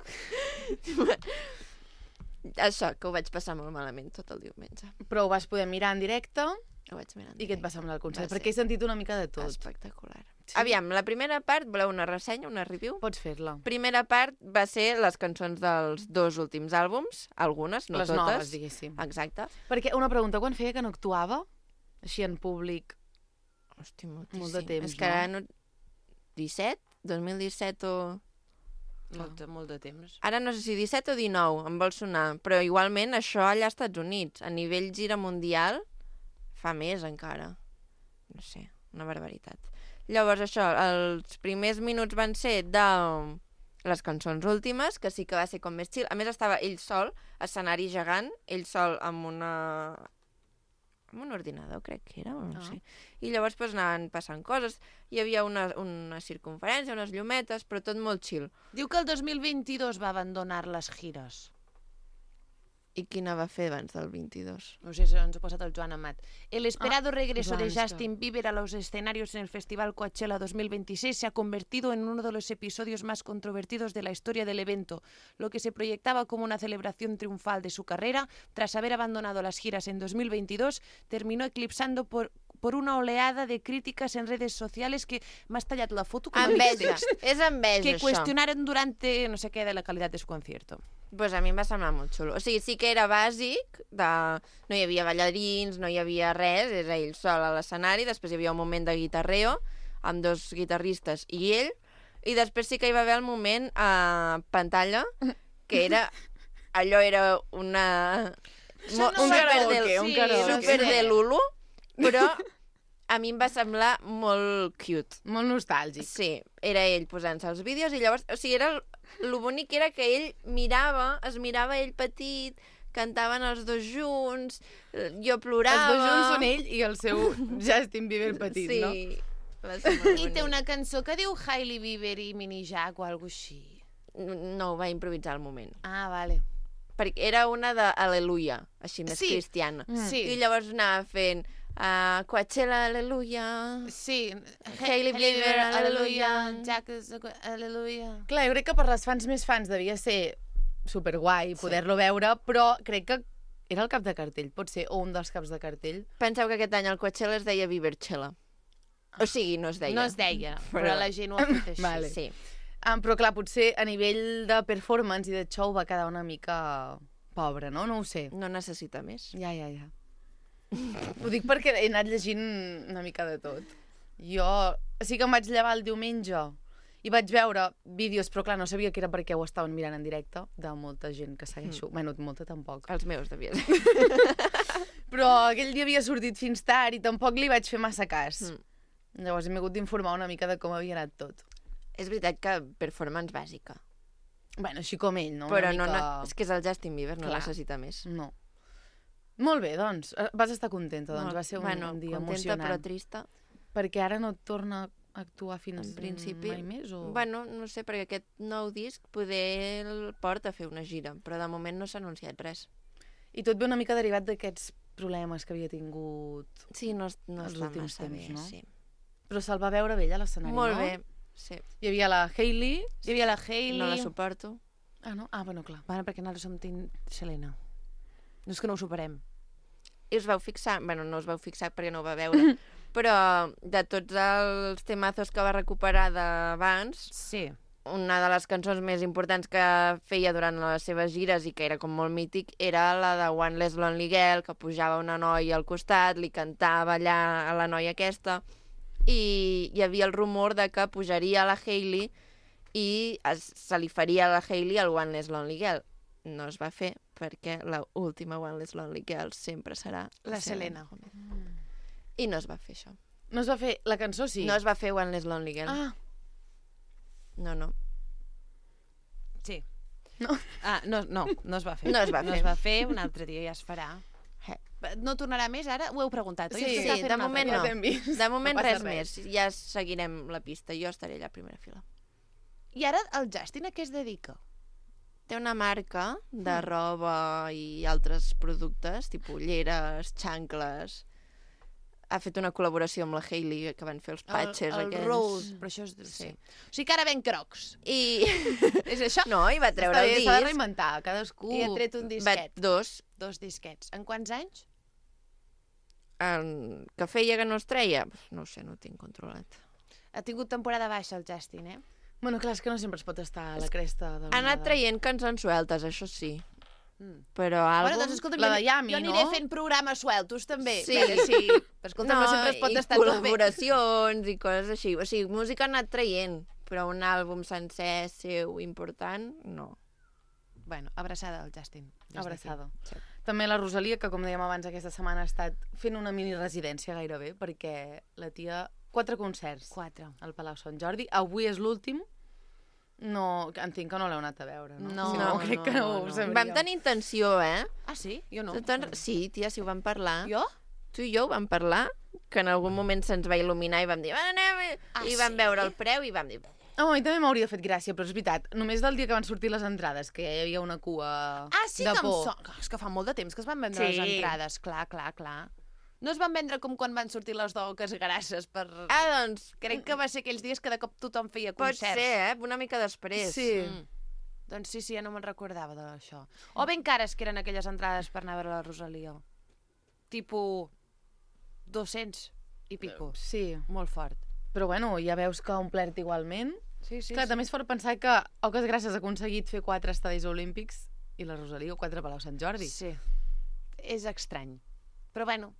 Això, que ho vaig passar molt malament tot el diumenge. Però ho vas poder mirar en directe. Ho vaig mirar en I què et va semblar el concert? Va ser Perquè he sentit una mica de tot. espectacular. Sí. Aviam, la primera part, voleu una ressenya, una review? Pots fer-la. Primera part va ser les cançons dels 2 últims àlbums, algunes, no Les totes. noves, diguéssim. Exacte. Perquè una pregunta, quan feia que no actuava? Així en públic? Hosti, moltíssim. Molt de temps, És que ara no... 17? 2017 o... Molt de temps. Ara no sé si 17 o 19, em vol sonar, però igualment això allà als Estats Units, a nivell gira mundial, fa més encara. No sé, una barbaritat. Llavors això, els primers minuts van ser de les cançons últimes, que sí que va ser com més chill. A més estava ell sol, escenari gegant, ell sol amb un ordinador, crec que era, no sé. I llavors pues, anaven passant coses. Hi havia una circunferència, unes llumetes, però tot molt chill. Diu que el 2022 va abandonar les gires. I quina va fer abans del 22? No sé, ens ho ha posat el Joan Amat. El esperado regreso de pues Justin Bieber a los escenarios en el Festival Coachella 2026 se ha convertido en uno de los episodios más controvertidos de la historia del evento. Lo que se proyectaba como una celebración triunfal de su carrera, tras haber abandonado las giras en 2022, terminó eclipsando por una oleada de críticas en redes sociales que m'has tallat la foto com a Enveja, text, és enveja, que això. cuestionaron durante no sé qué de la calidad de su concierto. Pues a mi em va semblar molt xulo. O sigui, sí que era bàsic, no hi havia ballarins, no hi havia res, era ell sol a l'escenari, després hi havia un moment de guitarreo, amb 2 guitarristes i ell, i després sí que hi va haver el moment a pantalla, que era allò era una... Un karaoke, un karaoke. Super de Lulu, però a mi em va semblar molt cute. Molt nostàlgic. Sí, era ell posant-se els vídeos i llavors... O sigui, lo bonic era que ell es mirava ell petit, cantaven els dos junts, jo plorava... Els dos junts són ell i el seu Justin Bieber petit, sí, no? I té una cançó que diu Hailey Bieber i Mini Jack o alguna així. No, ho va improvisar al moment. Ah, vale. Perquè era una d'Aleluia, així més cristiana. Sí. I llavors anava fent Coachella, Aleluia... Sí. Hailey Bieber, Aleluia... Jack, Aleluia... Clar, jo crec que per les fans més fans devia ser superguai poder-lo veure, però crec que era el cap de cartell, pot ser, o un dels caps de cartell. Penseu que aquest any el Coachella es deia Bieberchella. O sigui, no es deia. No es deia, però la gent ho ha fet així. Vale. Sí. Però clar, potser a nivell de performance i de show va quedar una mica pobre, no? No ho sé. No necessita més. Ja. Ho dic perquè he anat llegint una mica de tot. Jo sí que em vaig llevar el diumenge i vaig veure vídeos, però clar, no sabia que era perquè ho estaven mirant en directe, de molta gent que segueixo. Bueno, molta tampoc. Els meus, devia ser. Però aquell dia havia sortit fins tard i tampoc li vaig fer massa cas. Llavors hem hagut d'informar una mica de com havia anat tot. És veritat que performance bàsica. Bueno, així com ell, no? Però mica... és que és el Justin Bieber, no necessita més. No. Molt bé, doncs. Vas estar contenta, doncs. Va ser un dia contenta, emocionant. però trista. Perquè ara no torna a actuar fins en principi, mai més? O... Bueno, no sé, perquè aquest nou disc poder el porta a fer una gira, però de moment no s'ha anunciat res. I tot ve una mica derivat d'aquests problemes que havia tingut sí, no els està últims massa temps, bé, no? sí. Però se'l va veure bé a l'escenari, no? Molt bé, sí. Hi havia la Hailey. No la suporto. Ah, no? Ah, bueno, clar. Bueno, perquè nosaltres som Team Selena. No és que no ho superem. I us vau fixar, bueno, no us vau fixar perquè no ho va veure, però de tots els temazos que va recuperar d'abans, sí. Una de les cançons més importants que feia durant les seves gires i que era com molt mític era la de One Less Lonely Girl, que pujava una noia al costat, li cantava allà a la noia aquesta, i hi havia el rumor de que pujaria la Hailey i se li faria a la Hailey el One Less Lonely Girl. No es va fer perquè l'última One Less Lonely Girl sempre serà la Selena. I no es va fer això. No es va fer... La cançó sí. No es va fer One Less Lonely Girl. Ah. No. Sí. No. Ah, no es va fer. No es va fer. No es va fer, un altre dia ja es farà. No tornarà més ara? Ho heu preguntat, oi? Sí, de moment no. De moment no res més. Ja seguirem la pista. Jo estaré allà a primera fila. I ara el Justin a què es dedica? Té una marca de roba i altres productes, tipus ulleres, xancles. Ha fet una col·laboració amb la Hailey, que van fer els patches el aquells. Rose, però això és... Sí. O sigui que ara ven crocs. I... És això? No, i va treure el disc. S'ha de reinventar, cadascú... I ha tret un disquet. Dos disquets. En quants anys? Que feia que no es treia? No ho sé, no ho tinc controlat. Ha tingut temporada baixa el Justin, eh? Bueno, clar, és que no sempre es pot estar a la cresta de ha anat traient cançons sueltes, això sí. Però Bueno, doncs escolta'm, la de Yami, jo aniré no? fent programes sueltos també. Sí. Sí. Però escolta'm, no sempre es pot estar tot bé. Col·laboracions i coses així. O sigui, música ha anat traient, però un àlbum sencer seu important, no. Bueno, abraçada al Justin. Abraçada. Sí. També la Rosalia, que com dèiem abans aquesta setmana ha estat fent una mini residència gairebé, perquè la tia... 4 concerts. 4. Al Palau Sant Jordi. Avui és l'últim. No, entenc que no l'heu anat a veure, no? No, crec que no ho sabríem. Vam tenir intenció, eh? Ah, sí? Jo no. Sí, tia, sí ho vam parlar. Jo? Tu i jo ho vam parlar, que en algun moment se'ns va il·luminar i vam dir, anem, i vam veure el preu i vam dir... Oh, a mi també m'hauria fet gràcia, però és veritat, només del dia que van sortir les entrades, que hi havia una cua sí de que por. És que fa molt de temps que es van vendre les entrades, clar. No es van vendre com quan van sortir les d'oques grasses per... doncs... Crec que va ser aquells dies que de cop tothom feia concerts. Pot ser, una mica després. Sí. Doncs sí, ja no me'n recordava d'això. O ben cares que eren aquelles entrades per anar a veure la Rosalia. Tipo 200 i pico. Sí. Molt fort. Però bueno, ja veus que ha omplert igualment. Sí. Clar, també és fort pensar que Oques Grasses ha aconseguit fer 4 estadis olímpics i la Rosalia 4 Palau Sant Jordi. Sí. És estrany. Però bueno,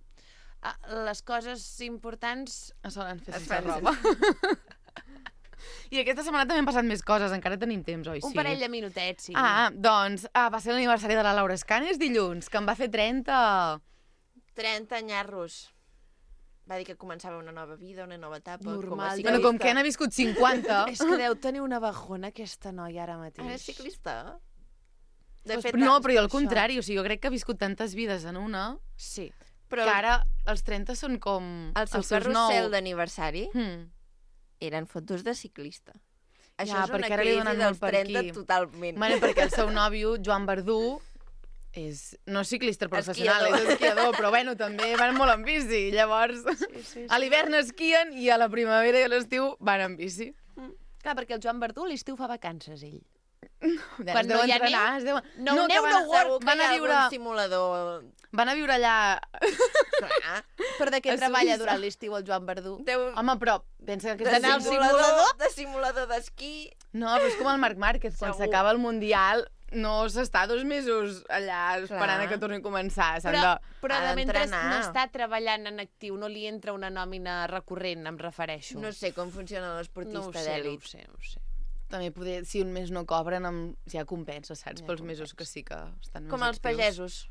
les coses importants es solen fer sense roba. I aquesta setmana també han passat més coses, encara tenim temps, oi? Un parell de minutets, sí. Doncs va ser l'aniversari de la Laura Escanes dilluns, que em va fer 30. 30 nyarros. Va dir que començava una nova vida, una nova etapa. Normal. Bueno, com que n'ha viscut 50. És que deu tenir una bajona aquesta noia ara mateix. Ara és ciclista. De fet, no, però jo al contrari, o sigui, jo crec que ha viscut tantes vides en una, sí. Però que ara els 30 són com el seu carrusel d'aniversari eren fotos de ciclista. Això és una crisi dels 30 totalment. Bueno, perquè el seu nòvio, Joan Verdú, no és ciclista professional, és esquiador, però bueno, també van molt en bici. Llavors, a l'hivern esquien i a la primavera i a l'estiu van en bici. Clar, perquè el Joan Verdú a l'estiu fa vacances, ell. Quan no hi ha neu... No work. Van a viure... simulador... Van a viure allà... Però de què treballa durant l'estiu el Joan Verdú? Home, però pensa que... D'anar al simulador? De simulador d'esquí. No, però és com el Marc Márquez, quan s'acaba el Mundial no s'està 2 mesos allà esperant que torni a començar. Però de mentre no està treballant en actiu, no li entra una nòmina recurrent, em refereixo. No sé com funciona l'esportista d'èlit. No ho sé. També poder, si un mes no cobren, ja compensa, saps? Pels mesos que sí que estan més com els pagesos.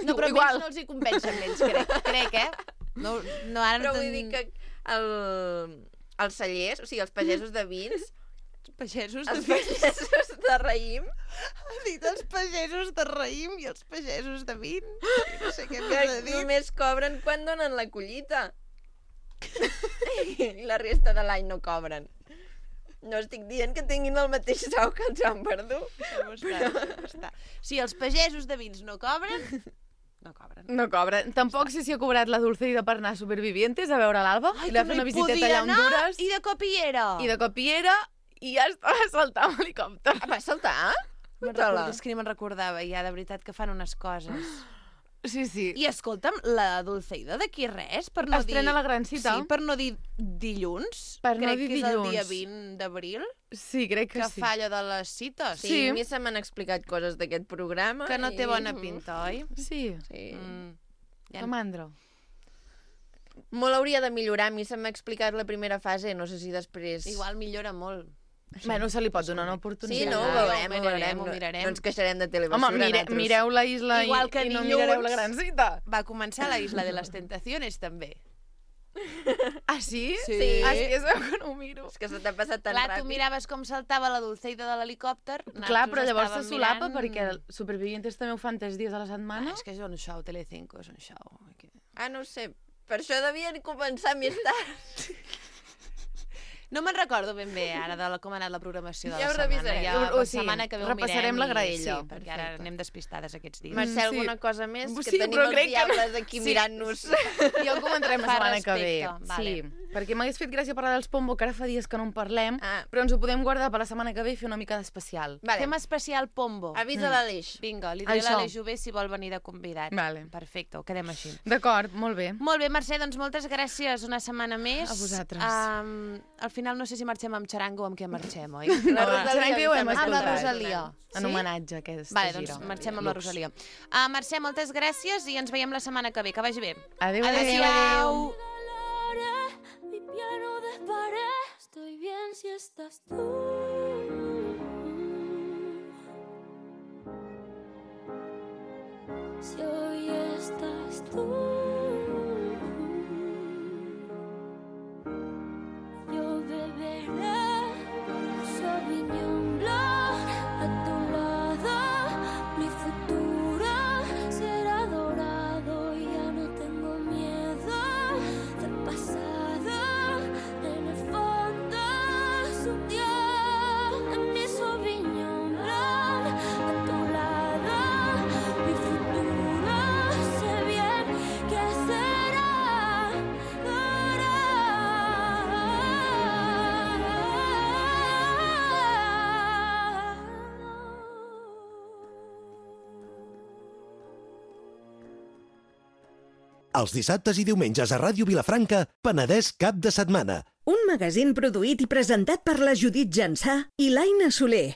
No, però igual no els hi compensa amb ells, crec, No, ara però vull dir que els cellers, o sigui, els pagesos de vins... Els pagesos de raïm. Ha dit els pagesos de raïm i els pagesos de vins. No sé què m'he de dir. Només cobren quan donen la collita. I la resta de l'any no cobren. No estic dient que tinguin el mateix sou que el Joan Verdú. Si els pagesos de vins no cobren, no cobren. No cobren. Tampoc sé si ha cobrat la Dulceida per anar a Supervivientes a veure l'Alba. Ai, i li va fer una visiteta allà a Honduras. I de cop hi era. I ja estava saltant amb l'helicòpter. Va saltar? És que ni me'n recordava, ja, de veritat que fan unes coses. Sí. I escolta'm, la Dulceida d'aquí res, per no estrena dir... la gran cita. Sí, per no dir dilluns. Crec que és el dia 20 d'abril. Sí, crec que sí. Que fa allò de les cites. Sí, a mi se m'han explicat coses d'aquest programa. Que no té bona pinta, oi? Sí. Que mandra. Molt hauria de millorar. A mi se m'ha explicat la primera fase, no sé si després... Igual millora molt. Bueno, se li pot donar una oportunitat. Sí, no, ho veurem. No ens queixarem de telebasura. Home, mireu la isla i no mirareu la gran cita. Va començar la isla de les tentaciones, també. Ah, sí? Sí. Ah, és que es veu que no ho miro. És que se t'ha passat tan ràpid. ràpid. Tu miraves com saltava la Dulceida de l'helicòpter. Clar, però llavors se solapa perquè Supervivientes també ho fan 3 dies a la setmana. És que és un show, Telecinco és un show. Ah, no ho sé. Per això devien començar més tard. No me'n recordo ben bé ara de com ha anat la programació de la setmana. Ja ho revisarem. La setmana que ve ho mirem. Repassarem la graella. Sí, perquè ara anem despistades aquests dies. Mercè, alguna cosa més? Que tenim els diables aquí mirant-nos. Ja ho comentarem la setmana que ve. Sí, perquè m'hagués fet gràcia parlar dels Pombo, que ara fa dies que no en parlem, però ens ho podem guardar per la setmana que ve i fer una mica d'especial. Fem especial Pombo. Avisa l'Aleix. Vinga, li diré a l'Aleix Jové si vol venir de convidat. Perfecte, ho quedem així. D'acord, molt bé. Molt bé, Mercè, doncs moltes gràcies una setmana més. A vosaltres. Al final no sé si marxem amb xarango o amb què marxem, oi? La Rosalia ho hem escoltat. Amb la Rosalia. En homenatge a aquesta gira. Vale, doncs marxem amb la Rosalia. Mercè, moltes gràcies i ens veiem la setmana que ve. Que vagi bé. Adéu. Adéu. Mi piano desparé, estoy bien si estás tú. Si hoy estás tú, yo beberé Sauvignon Blanc a tu lado. Mi futuro será dorado y ya no tengo miedo del pasado. En el fondo es un dios en mi Sauvignon Blanc a tu lado. Mi futuro sé bien que será dorado. Els dissabtes i diumenges a Ràdio Vilafranca, Penedès cap de setmana. Un magazín produït i presentat per la Judit Jansà i l'Aina Soler.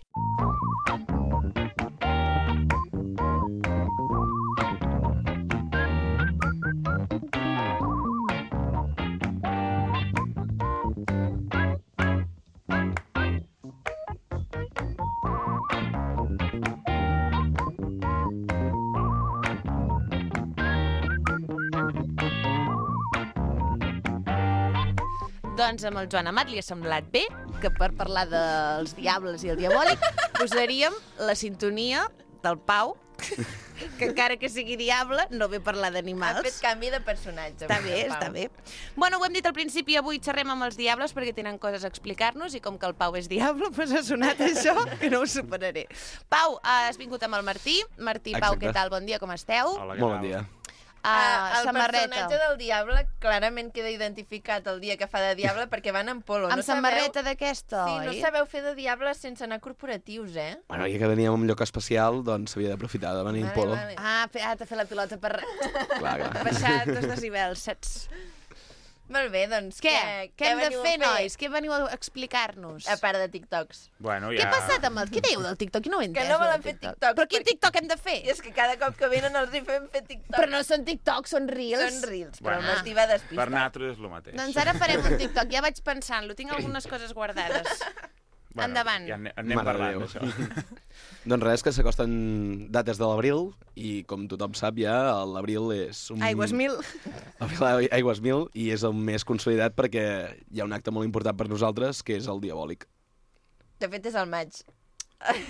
Doncs amb el Joan Amat li ha semblat bé que per parlar dels diables i el diabòlic posaríem la sintonia del Pau, que encara que sigui diable no ve parlar d'animals. Ha fet canvi de personatge. Està bé, està bé. Bueno, ho hem dit al principi, avui xerrem amb els diables perquè tenen coses a explicar-nos i com que el Pau és diable, doncs ha sonat això, que no ho superaré. Pau, has vingut amb el Martí. Martí, Pau, Exacte. què tal? Bon dia, com esteu? Hola, molt bon dia. El samarreta. personatge del diable clarament queda identificat el dia que fa de diable perquè van en polo. Amb samarreta d'aquesta, Sí, oi? no sabeu fer de diable sense anar a corporatius, eh? Bueno, ja que veníem a un lloc especial, doncs s'havia d'aprofitar de venir en polo. T'ha fet la pilota per Clar. baixar 2 decibels, saps? Molt bé, doncs... Què hem de veniu a fer, nois? Què veniu a explicar-nos? A part de TikToks. Bueno, Què ha passat amb el... Què dèieu del TikTok? No ho he entès. Que no volen del fer TikTok. TikToks. Però quin TikTok hem de fer? I és que cada cop que venen els hi fem fer TikToks. Però no són TikToks, són Reels. Són Reels, però Bueno, el Martí va despistat. Per nosaltres és el mateix. Doncs ara farem un TikTok. Ja vaig pensant-lo. Tinc algunes coses guardades. Endavant. Ja anem Mare parlant de Déu. d'això. Doncs res, que s'acosten dates de l'abril i com tothom sap ja, l'abril és un... Aigües 1000. Aigües 1000 i és el més consolidat perquè hi ha un acte molt important per nosaltres que és el diabòlic. De fet, és el maig.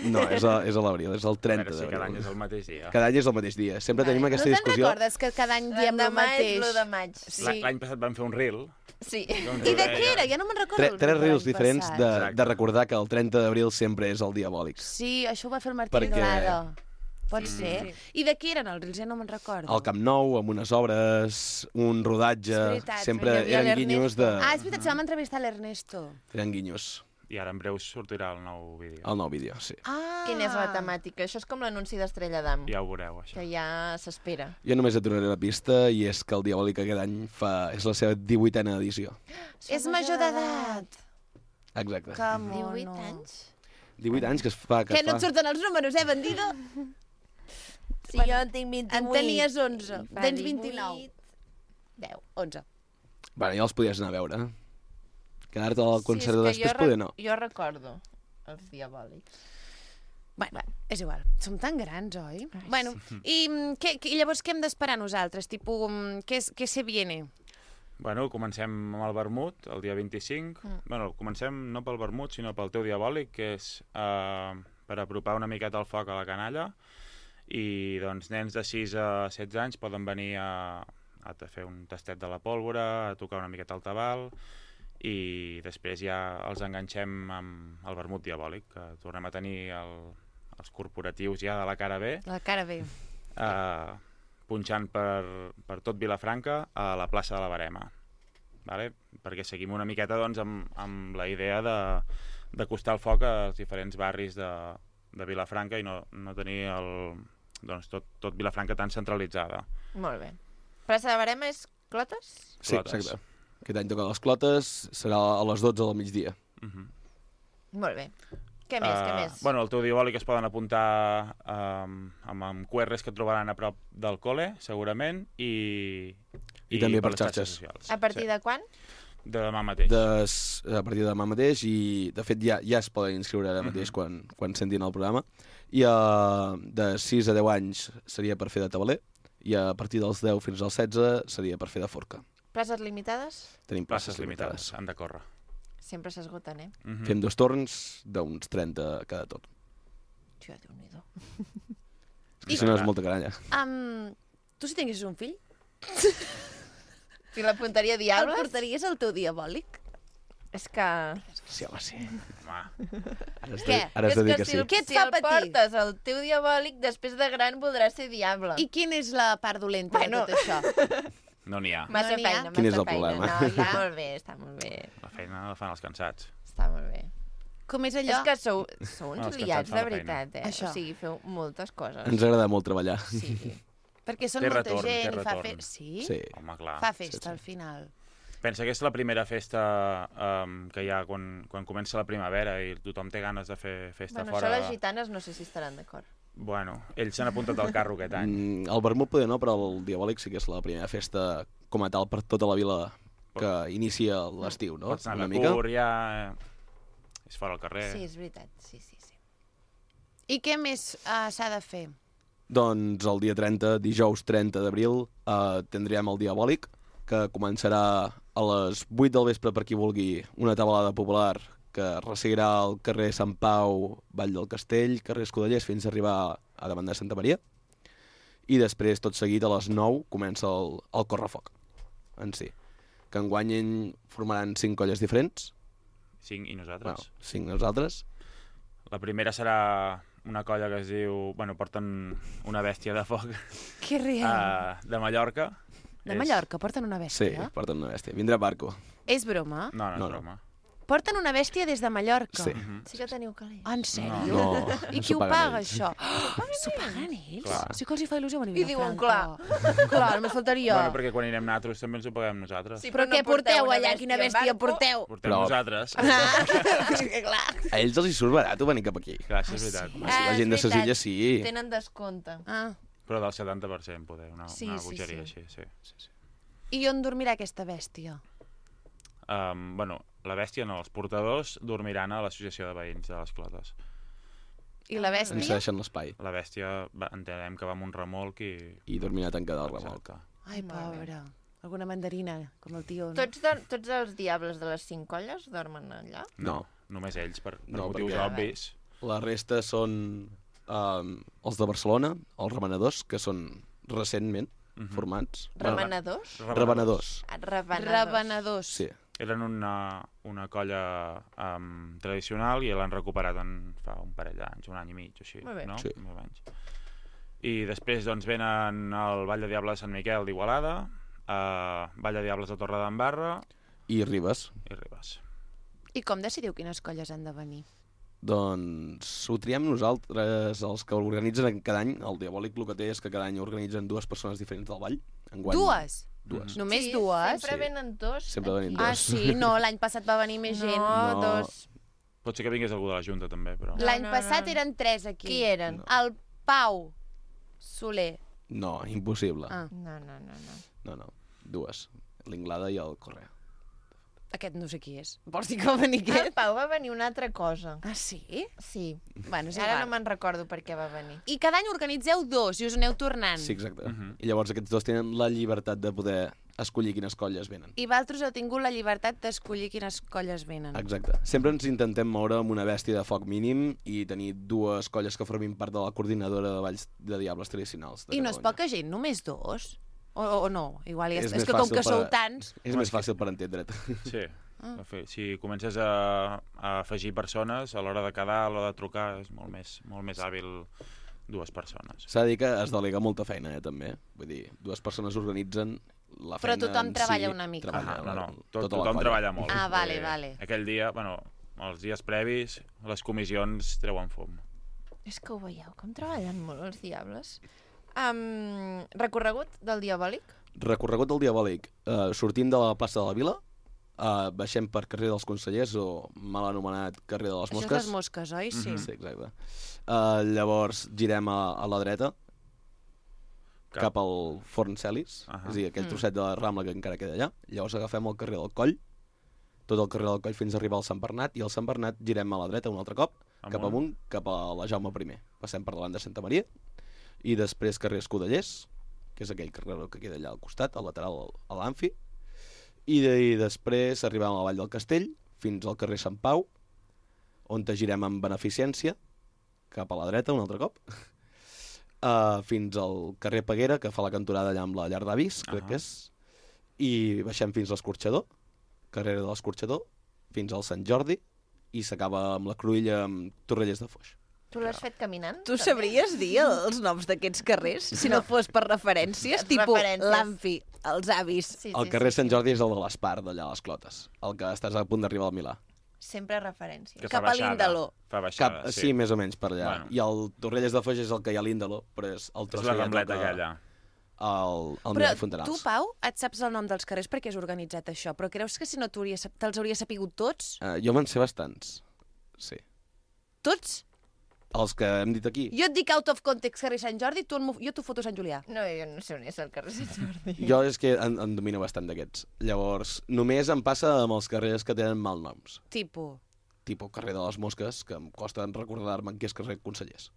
No, és a l'abril, és el 30 A veure si d'abril. cada any és el mateix dia. Cada any és el mateix dia. Sempre tenim aquesta No te'n discussió. recordes que cada any diem el L'endemà és mateix? l'1 de maig. Sí. L'any passat vam fer un reel. Sí. I de què era? Ja no me'n recordo. Tres reels l'any diferents passat. de recordar que el 30 d'abril sempre és el diabòlic. Sí, això ho va fer el Martí Perquè- Anglada. Pot Sí. ser. I de què eren els reels? Ja no me'n recordo. Al Camp Nou, amb unes obres, un rodatge... És veritat, sempre hi havia eren guinyos de... Ah, és veritat, se vam entrevistar l'Ernesto. Eren guinyos. I ara en breu sortirà el nou vídeo. El nou vídeo, sí. Ah. Quina és la temàtica? Això és com l'anunci d'Estrella d'Am. Ja ho veureu, això. Que ja s'espera. Jo només et donaré la pista i és que el Diabòlic aquest any és la seva 18a edició. És major d'edat. Exacte. Que mono. 18 anys? 18 anys que es fa... Que no et surten els números, bandido? Sí, jo en tinc 28. En tenies 11. Fa Tens 18. 29. 10, 11. Bueno, ja els podies anar a veure. Quedar-te al concert de després, poder no. Jo recordo els diabòlics. Bueno, és igual. Som tan grans, oi? Bueno, i llavors què hem d'esperar nosaltres? Tipo, què se viene? Bueno, comencem amb el vermut, el dia 25. Bueno, comencem no pel vermut, sinó pel teu diabòlic, que és per apropar una miqueta el foc a la canalla. I, doncs, nens de 6 a 16 anys poden venir a fer un tastet de la pólvora, a tocar una miqueta el tabal, i després ja els enganxem amb el vermut diabòlic, que tornem a tenir els corporatius ja de la cara B. La cara B. Punxant per tot Vilafranca a la plaça de la Verema. Vale? Perquè seguim una miqueta doncs, amb la idea d'acostar el foc als diferents barris de Vilafranca i no tenir tot Vilafranca tan centralitzada. Molt bé. Plaça de Verema és Clotes? Sí, exacte. Aquest any toca les Clotes, serà a les 12 del migdia. Molt bé. Què més? Bueno, el teu diabòlic es poden apuntar amb QRs que trobaran a prop del col·le, segurament, i també per les xarxes socials. A partir de quan? De demà mateix. A partir de demà mateix, i de fet ja es poden inscriure ara mateix quan sentin el programa. I de 6 a 10 anys seria per fer de tabaler, i a partir dels 10 fins als 16 seria per fer de forca. Places limitades? Tenim places limitades. Han de córrer. Sempre s'esgoten, eh? Fem 2 torns d'uns 30 cada tot. Tio, Déu-n'hi-do. És que si no és molta caralla. Tu si tinguessis un fill? Si l'apuntaria a diables? El portaries al teu diabòlic? És que... Sí, home, sí. Què? Ara has de dir que sí. Què et fa patir? Si el portes al teu diabòlic, després de gran voldrà ser diable. I quina és la part dolenta de tot això? No n'hi ha. Massa feina, Quin és massa el feina. problema? No, està molt bé, està molt bé. La feina la fan els cansats. Està molt bé. Com és allò? És que sou uns els liats, cansats fan de la veritat, eh? Això. O sigui, feu moltes coses. Ens agrada molt treballar. Sí. Perquè són Té molta retorn, té gent i fa retorn. festa. Sí? Sí. Home, clar. Fa festa al final. Pensa que és la primera festa que hi ha quan comença la primavera i tothom té ganes de fer festa Bueno, fora. això les gitanes no sé si estaran d'acord. Bueno, ells s'han apuntat al carro aquest any. El vermut poder no, però el diabòlic sí que és la primera festa com a tal per tota la vila que inicia l'estiu, no? Pots anar a la cur, ja... És fora al carrer. Sí, és veritat. Sí. I què més s'ha de fer? Doncs el dia 30, dijous 30 d'abril, tindrem el diabòlic, que començarà a les 8 del vespre, per qui vulgui, una tabalada popular que resseguirà al carrer Sant Pau, Vall del Castell, carrer Escudellers, fins a arribar a davant de Santa Maria. I després, tot seguit, a les 9, comença el correfoc en si. Que enguany formaran 5 colles diferents. 5 i nosaltres. Bueno, 5 nosaltres. La primera serà una colla que es diu... Bueno, porten una bèstia de foc. Que real. De Mallorca. De Mallorca porten una Sí, bèstia? porten una bèstia. Vindrà barco. És broma? No és broma. Porten una bèstia des de Mallorca? Sí. Sí que teniu calés. En sèrio? No, I no qui s'ho ho paguen paga, ells. això? S'ho paguen ells? Clar. Sí que els hi fa il·lusió venir a I diuen, Vilafranca. Clar, només faltaria. Bueno, perquè quan anirem nosaltres també ens ho paguem nosaltres. Sí, però què porteu allà? Quina bèstia porteu? Portem nosaltres. A ells els hi surt barat venir cap aquí. Clar, això és veritat. Home, si la gent de ses illes sí. Tenen descompte. Però del 70% poder, una Sí, bogeria sí. així, sí. I on dormirà aquesta bèstia? Bueno, la bèstia no, els portadors dormiran a l'associació de veïns de les Clotes. I la bèstia? Ens deixen l'espai. La bèstia entenem que va amb un remolc i... I dormirà tancada al remolc. Ai, pobra. Alguna mandarina, com el tio. No? Tots els diables de les 5 colles dormen allà? No. Només ells, per No, motius perquè obvis. La resta són els de Barcelona, els remenadors, que són recentment formats. Remenadors? Remenadors. Revenedors. Sí. Eren una colla tradicional i l'han recuperat fa un parell d'anys, un any i mig o així, Molt bé. no? Sí. Més o menys. I després doncs, venen al Vall de Diables de Sant Miquel d'Igualada, Vall de Diables de Torredembarra... I Ribes. I com decidiu quines colles han de venir? Doncs ho triem nosaltres, els que organitzen cada any. El Diabòlic el que té és que cada any organitzen 2 persones diferents del Vall. Enguany, Dues? Dues. Només Sí, dues? sempre venen dos. Sempre venen Ah, dos. sí? No, l'any passat va venir més gent. No, dos. Pot ser que vingués algú de la Junta també, però... L'any passat eren 3 aquí. Qui eren? El Pau Soler. No, impossible. Ah. No. Dues. L'Inglada i el Correa. Aquest no sé qui és. Vols dir que va venir El aquest? Pau va venir una altra cosa. Ah, sí? Sí. Bueno, és Ara igual. no me'n recordo per què va venir. I cada any organitzeu 2 i us aneu tornant. Sí, exacte. I llavors aquests dos tenen la llibertat de poder escollir quines colles venen. I vosaltres heu tingut la llibertat d'escollir quines colles venen. Exacte. Sempre ens intentem moure amb una bèstia de foc mínim i tenir 2 colles que formin part de la coordinadora de balls de diables tradicionals. I no és poca gent, només 2? O no? Igual és més que com fàcil que sou tants... És més fàcil per entendre't. Sí. Si comences a afegir persones, a l'hora de quedar, a l'hora de trucar, és molt més hàbil 2 persones. S'ha de dir que es delega molta feina, també. Vull dir, 2 persones organitzen la Però feina tothom en treballa si, una mica. treballa No, tota la tothom colla. treballa molt. Ah, vale, vale. Aquell dia, bueno, els dies previs, les comissions treuen fum. És que ho veieu, com treballen molt els diables. Recorregut del Diabòlic? Recorregut del Diabòlic. Sortim de la plaça de la Vila, baixem per carrer dels Consellers, o mal anomenat carrer de les Això Mosques. és les mosques, oi? Sí. Sí, exacte. Llavors girem a la dreta, cap al Forn Celis, és a dir, aquell trosset de la Rambla que encara queda allà. Llavors agafem el carrer del Coll, tot el carrer del Coll fins a arribar al Sant Bernat, i al Sant Bernat girem a la dreta un altre cop, cap amunt, cap a la Jaume I. Passem per davant de Santa Maria, i després carrer Escudellers, que és aquell carrer que queda allà al costat, al lateral a l'Amfi, i després arribem a la Vall del Castell, fins al carrer Sant Pau, on girem amb beneficència, cap a la dreta un altre cop, fins al carrer Peguera, que fa la cantonada allà amb la llar d'avis, crec que és, i baixem fins a l'Escorxador, carrer de l'Escorxador, fins al Sant Jordi, i s'acaba amb la Cruïlla amb Torrelles de Foix. Tu l'has fet caminant? Tu sabries dir els noms d'aquests carrers? Si no fos per referències, tipus Referències. l'Amfi, els avis. El carrer Sant Jordi és el de l'Espar, d'allà a les Clotes, el que estàs a punt d'arribar al Milà. Sempre referències. Que fa baixada. Fa baixada, Sí, més o menys per allà. Bueno. I el Torrelles de Foix és el que hi ha a l'Índalo, però és el tros És la que ja rambleta toca aquella. al Però Milà i Fontanals. tu, Pau, et saps el nom dels carrers perquè has organitzat això, però creus que si no te'ls hauria sapigut tots? Jo me'n sé bastants, sí. Tots? Els que hem dit aquí. Jo et dic out of context carrer Sant Jordi, jo t'ho foto Sant Julià. No, jo no sé on és el carrer Sant Jordi. Jo és que en domino bastant d'aquests. Llavors, només em passa amb els carrers que tenen malnoms. Tipo? Tipo carrer de les Mosques, que em costa recordar-me en què és carrer Consellers.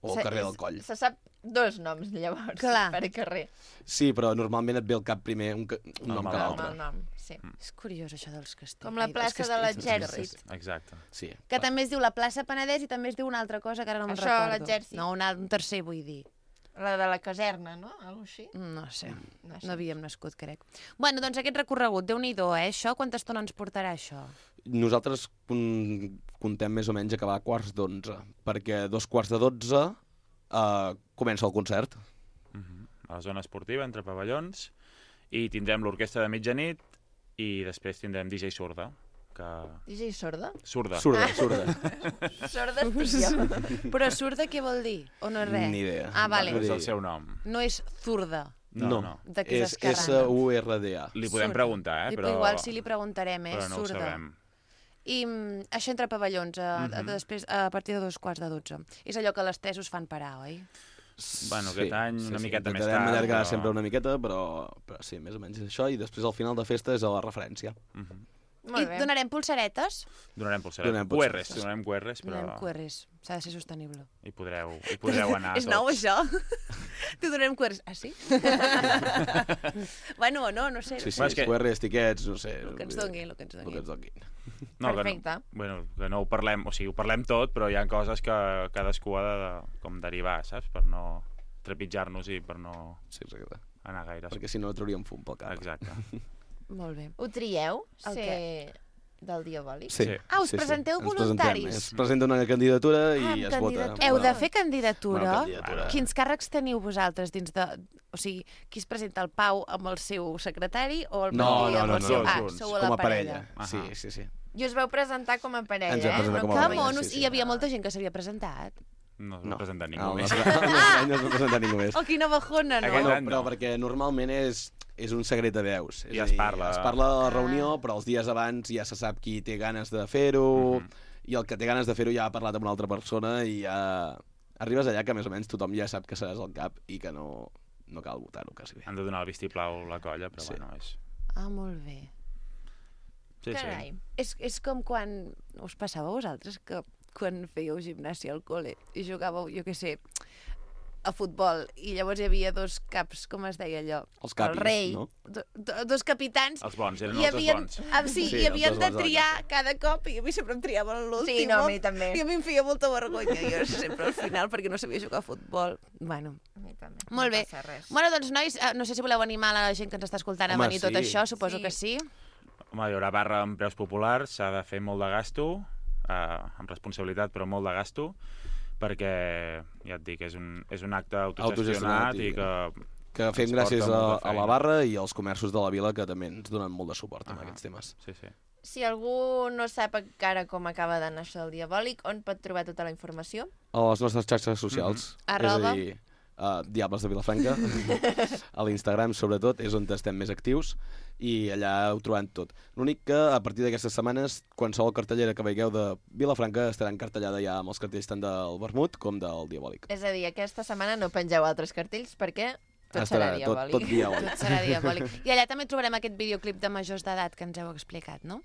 o el carrer del Coll. Se sap 2 noms, llavors, Clar. per carrer. Sí, però normalment et ve al cap primer un nom que l'altre. El nom, sí. És curiós, això dels castells. Com la plaça de l'Exèrcit. Exacte. Sí. Que també es diu la plaça Penedès i també es diu una altra cosa que ara no me'n Això, recordo. l'Exèrcit. No, un tercer, vull dir. La de la caserna, no? Algo així? No sé. No sé. No havíem nascut, crec. Bueno, doncs aquest recorregut, Déu-n'hi-do, això? Quanta estona ens portarà, això? Nosaltres contem més o menys acabar a 11:15, perquè 11:45 comença el concert. A la zona esportiva, entre pavellons, i tindrem l'orquestra de mitjanit i després tindrem DJ Sorda. DJ Sorda? Sorda. Sorda. Sorda estic jo. Però sorda què vol dir? O no és res? Ni idea. Ah, vale. És el seu nom. No és zurda. No. De què és És esquerrana. SURDA. Li podem preguntar, però... Igual sí li preguntarem, però no surda. ho sabem. I això entre pavellons, després, a partir de 11:45. És allò que les tesos fan parar, oi? Bueno, aquest any una miqueta més Intentarem tard. allargar però- sempre una miqueta, però sí, més o menys és això, i després al final de festa és a la referència. I donarem pulsaretes? Donarem pulseres. Donem QRs, pulseres. donarem QRs, però Donarem QRs. S'ha de ser sostenible. hi podreu anar És nou, tots. això? T'ho donarem QRs. Ah, sí? Bueno, o no sé. Sí, sí, Bueno, és que- QRs, tiquets, no sé. El que ens donguin, el que ens El que donguin. ens donguin. No, Perfecte. Que no ho parlem, o sigui, ho parlem tot, però hi ha coses que cadascú ha de com derivar, saps? Per no trepitjar-nos i per no anar gaire. Perquè si no trauríem fum pel cap. Exacte. Molt bé. Ho trieu, El ser del Diabòlic? Sí. Ah, us presenteu Ens voluntaris? presentem. Es presenta una candidatura i es vota. Heu de fer candidatura? Una candidatura. Quins càrrecs teniu vosaltres dins de... O sigui, qui es presenta, el Pau amb el seu secretari o el No, Martí amb el seu... Ah, junts. sou a Com la a parella. Sí, Ahà. sí, sí. I us vau presentar com a parella, Ens vam presentar com a Que parella, monos, sí, sí. hi havia molta gent que s'havia presentat. No es va presentar ningú No, més. no es va presentar ningú més. Oh, quina bajona, no? No, però perquè normalment és un secret de veus. És Ja a es dir, parla. Es parla de la reunió, però els dies abans ja se sap qui té ganes de fer-ho, i el que té ganes de fer-ho ja ha parlat amb una altra persona i ja arribes allà que més o menys tothom ja sap que seràs al cap i que no cal votar-ho quasi bé. Han de donar el vistiplau a la colla, però bueno, és... Ah, molt bé. Sí, Carai. És com quan... Us passava a vosaltres que quan fèieu gimnàsia al col·le i jugàveu, jo què sé, a futbol, i llavors hi havia dos caps, com es deia allò? Els capis, el rei, no? Dos capitans. Els bons, eren i els dos havien, bons. Sí, Sí, i els havien dos de bons de triar cada cop, i a mi sempre em triaven l'últim. Sí, no, a mi també. I a mi em feia molta vergonya, jo sempre al final, perquè no sabia jugar a futbol. Bueno, A mi també. molt bé. No passa res. Bueno, doncs, nois, no sé si voleu animar la gent que ens està escoltant a Home, venir tot sí. això, suposo Sí. que sí. Home, hi haurà barra amb preus populars, s'ha de fer molt de gasto, amb responsabilitat, però molt de gasto, perquè, ja et dic, és un acte autogestionat i que fem ens gràcies porta molta a la feina. barra i als comerços de la vila que també ens donen molt de suport en aquests temes. Sí, sí. Si algú no sap encara com acaba d'anar això del Diabòlic, on pot trobar tota la informació? A les nostres xarxes socials. Arroba. És a dir, Diables de Vilafranca, a l'Instagram sobretot, és on estem més actius, i allà ho trobant tot. L'únic que a partir d'aquestes setmanes, qualsevol cartellera que veieu de Vilafranca estarà encartellada ja amb els cartells tant del Vermut com del Diabòlic. És a dir, aquesta setmana no pengeu altres cartells perquè tot serà Diabòlic. Tot diabòlic. Tot serà diabòlic. I allà també trobarem aquest videoclip de majors d'edat que ens heu explicat, no?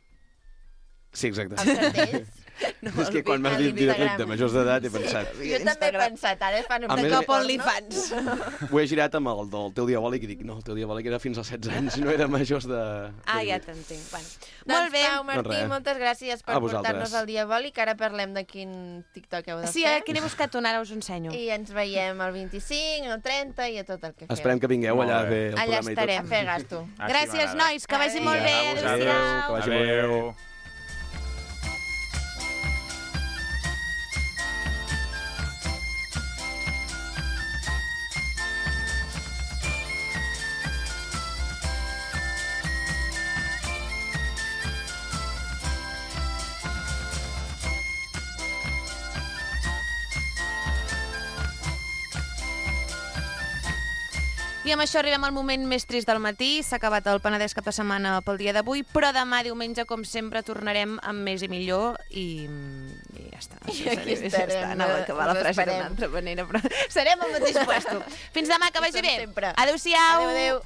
Sí, exacte. Els cartells? No, És que quan m'has dit videoclip de majors d'edat he pensat... Jo també he pensat, ara fan un A més, cop OnlyFans. Ho he girat amb el del teu Diabòlic i dic, no, el teu Diabòlic era fins als 16 anys, no era majors de... Ah, ja t'entenc. Bueno. Doncs Molt bé. Pau, Martí, res. moltes gràcies per A vosaltres. portar-nos al Diabòlic. Ara parlem de quin TikTok heu de Sí, fer. aquí n'he buscat un, ara us ho ensenyo. I ens veiem el 25, el 30 i a tot el que feu. Esperem que vingueu allà a fer el Allà programa estarem. i tot. A fer gasto. Gràcies, nois, que vagi molt bé. Adéu, Adéu-siau. que vagi molt bé. Adéu. I amb això arribem al moment més trist del matí. S'ha acabat el Penedès cap de setmana pel dia d'avui, però demà, diumenge, com sempre, tornarem amb més i millor i ja està. I aquí estarem, Anava a acabar la us frase esperem. d'una altra manera, però serem al mateix puesto. Fins demà, que vagi bé. Sempre. Adéu-siau. Adéu, adéu.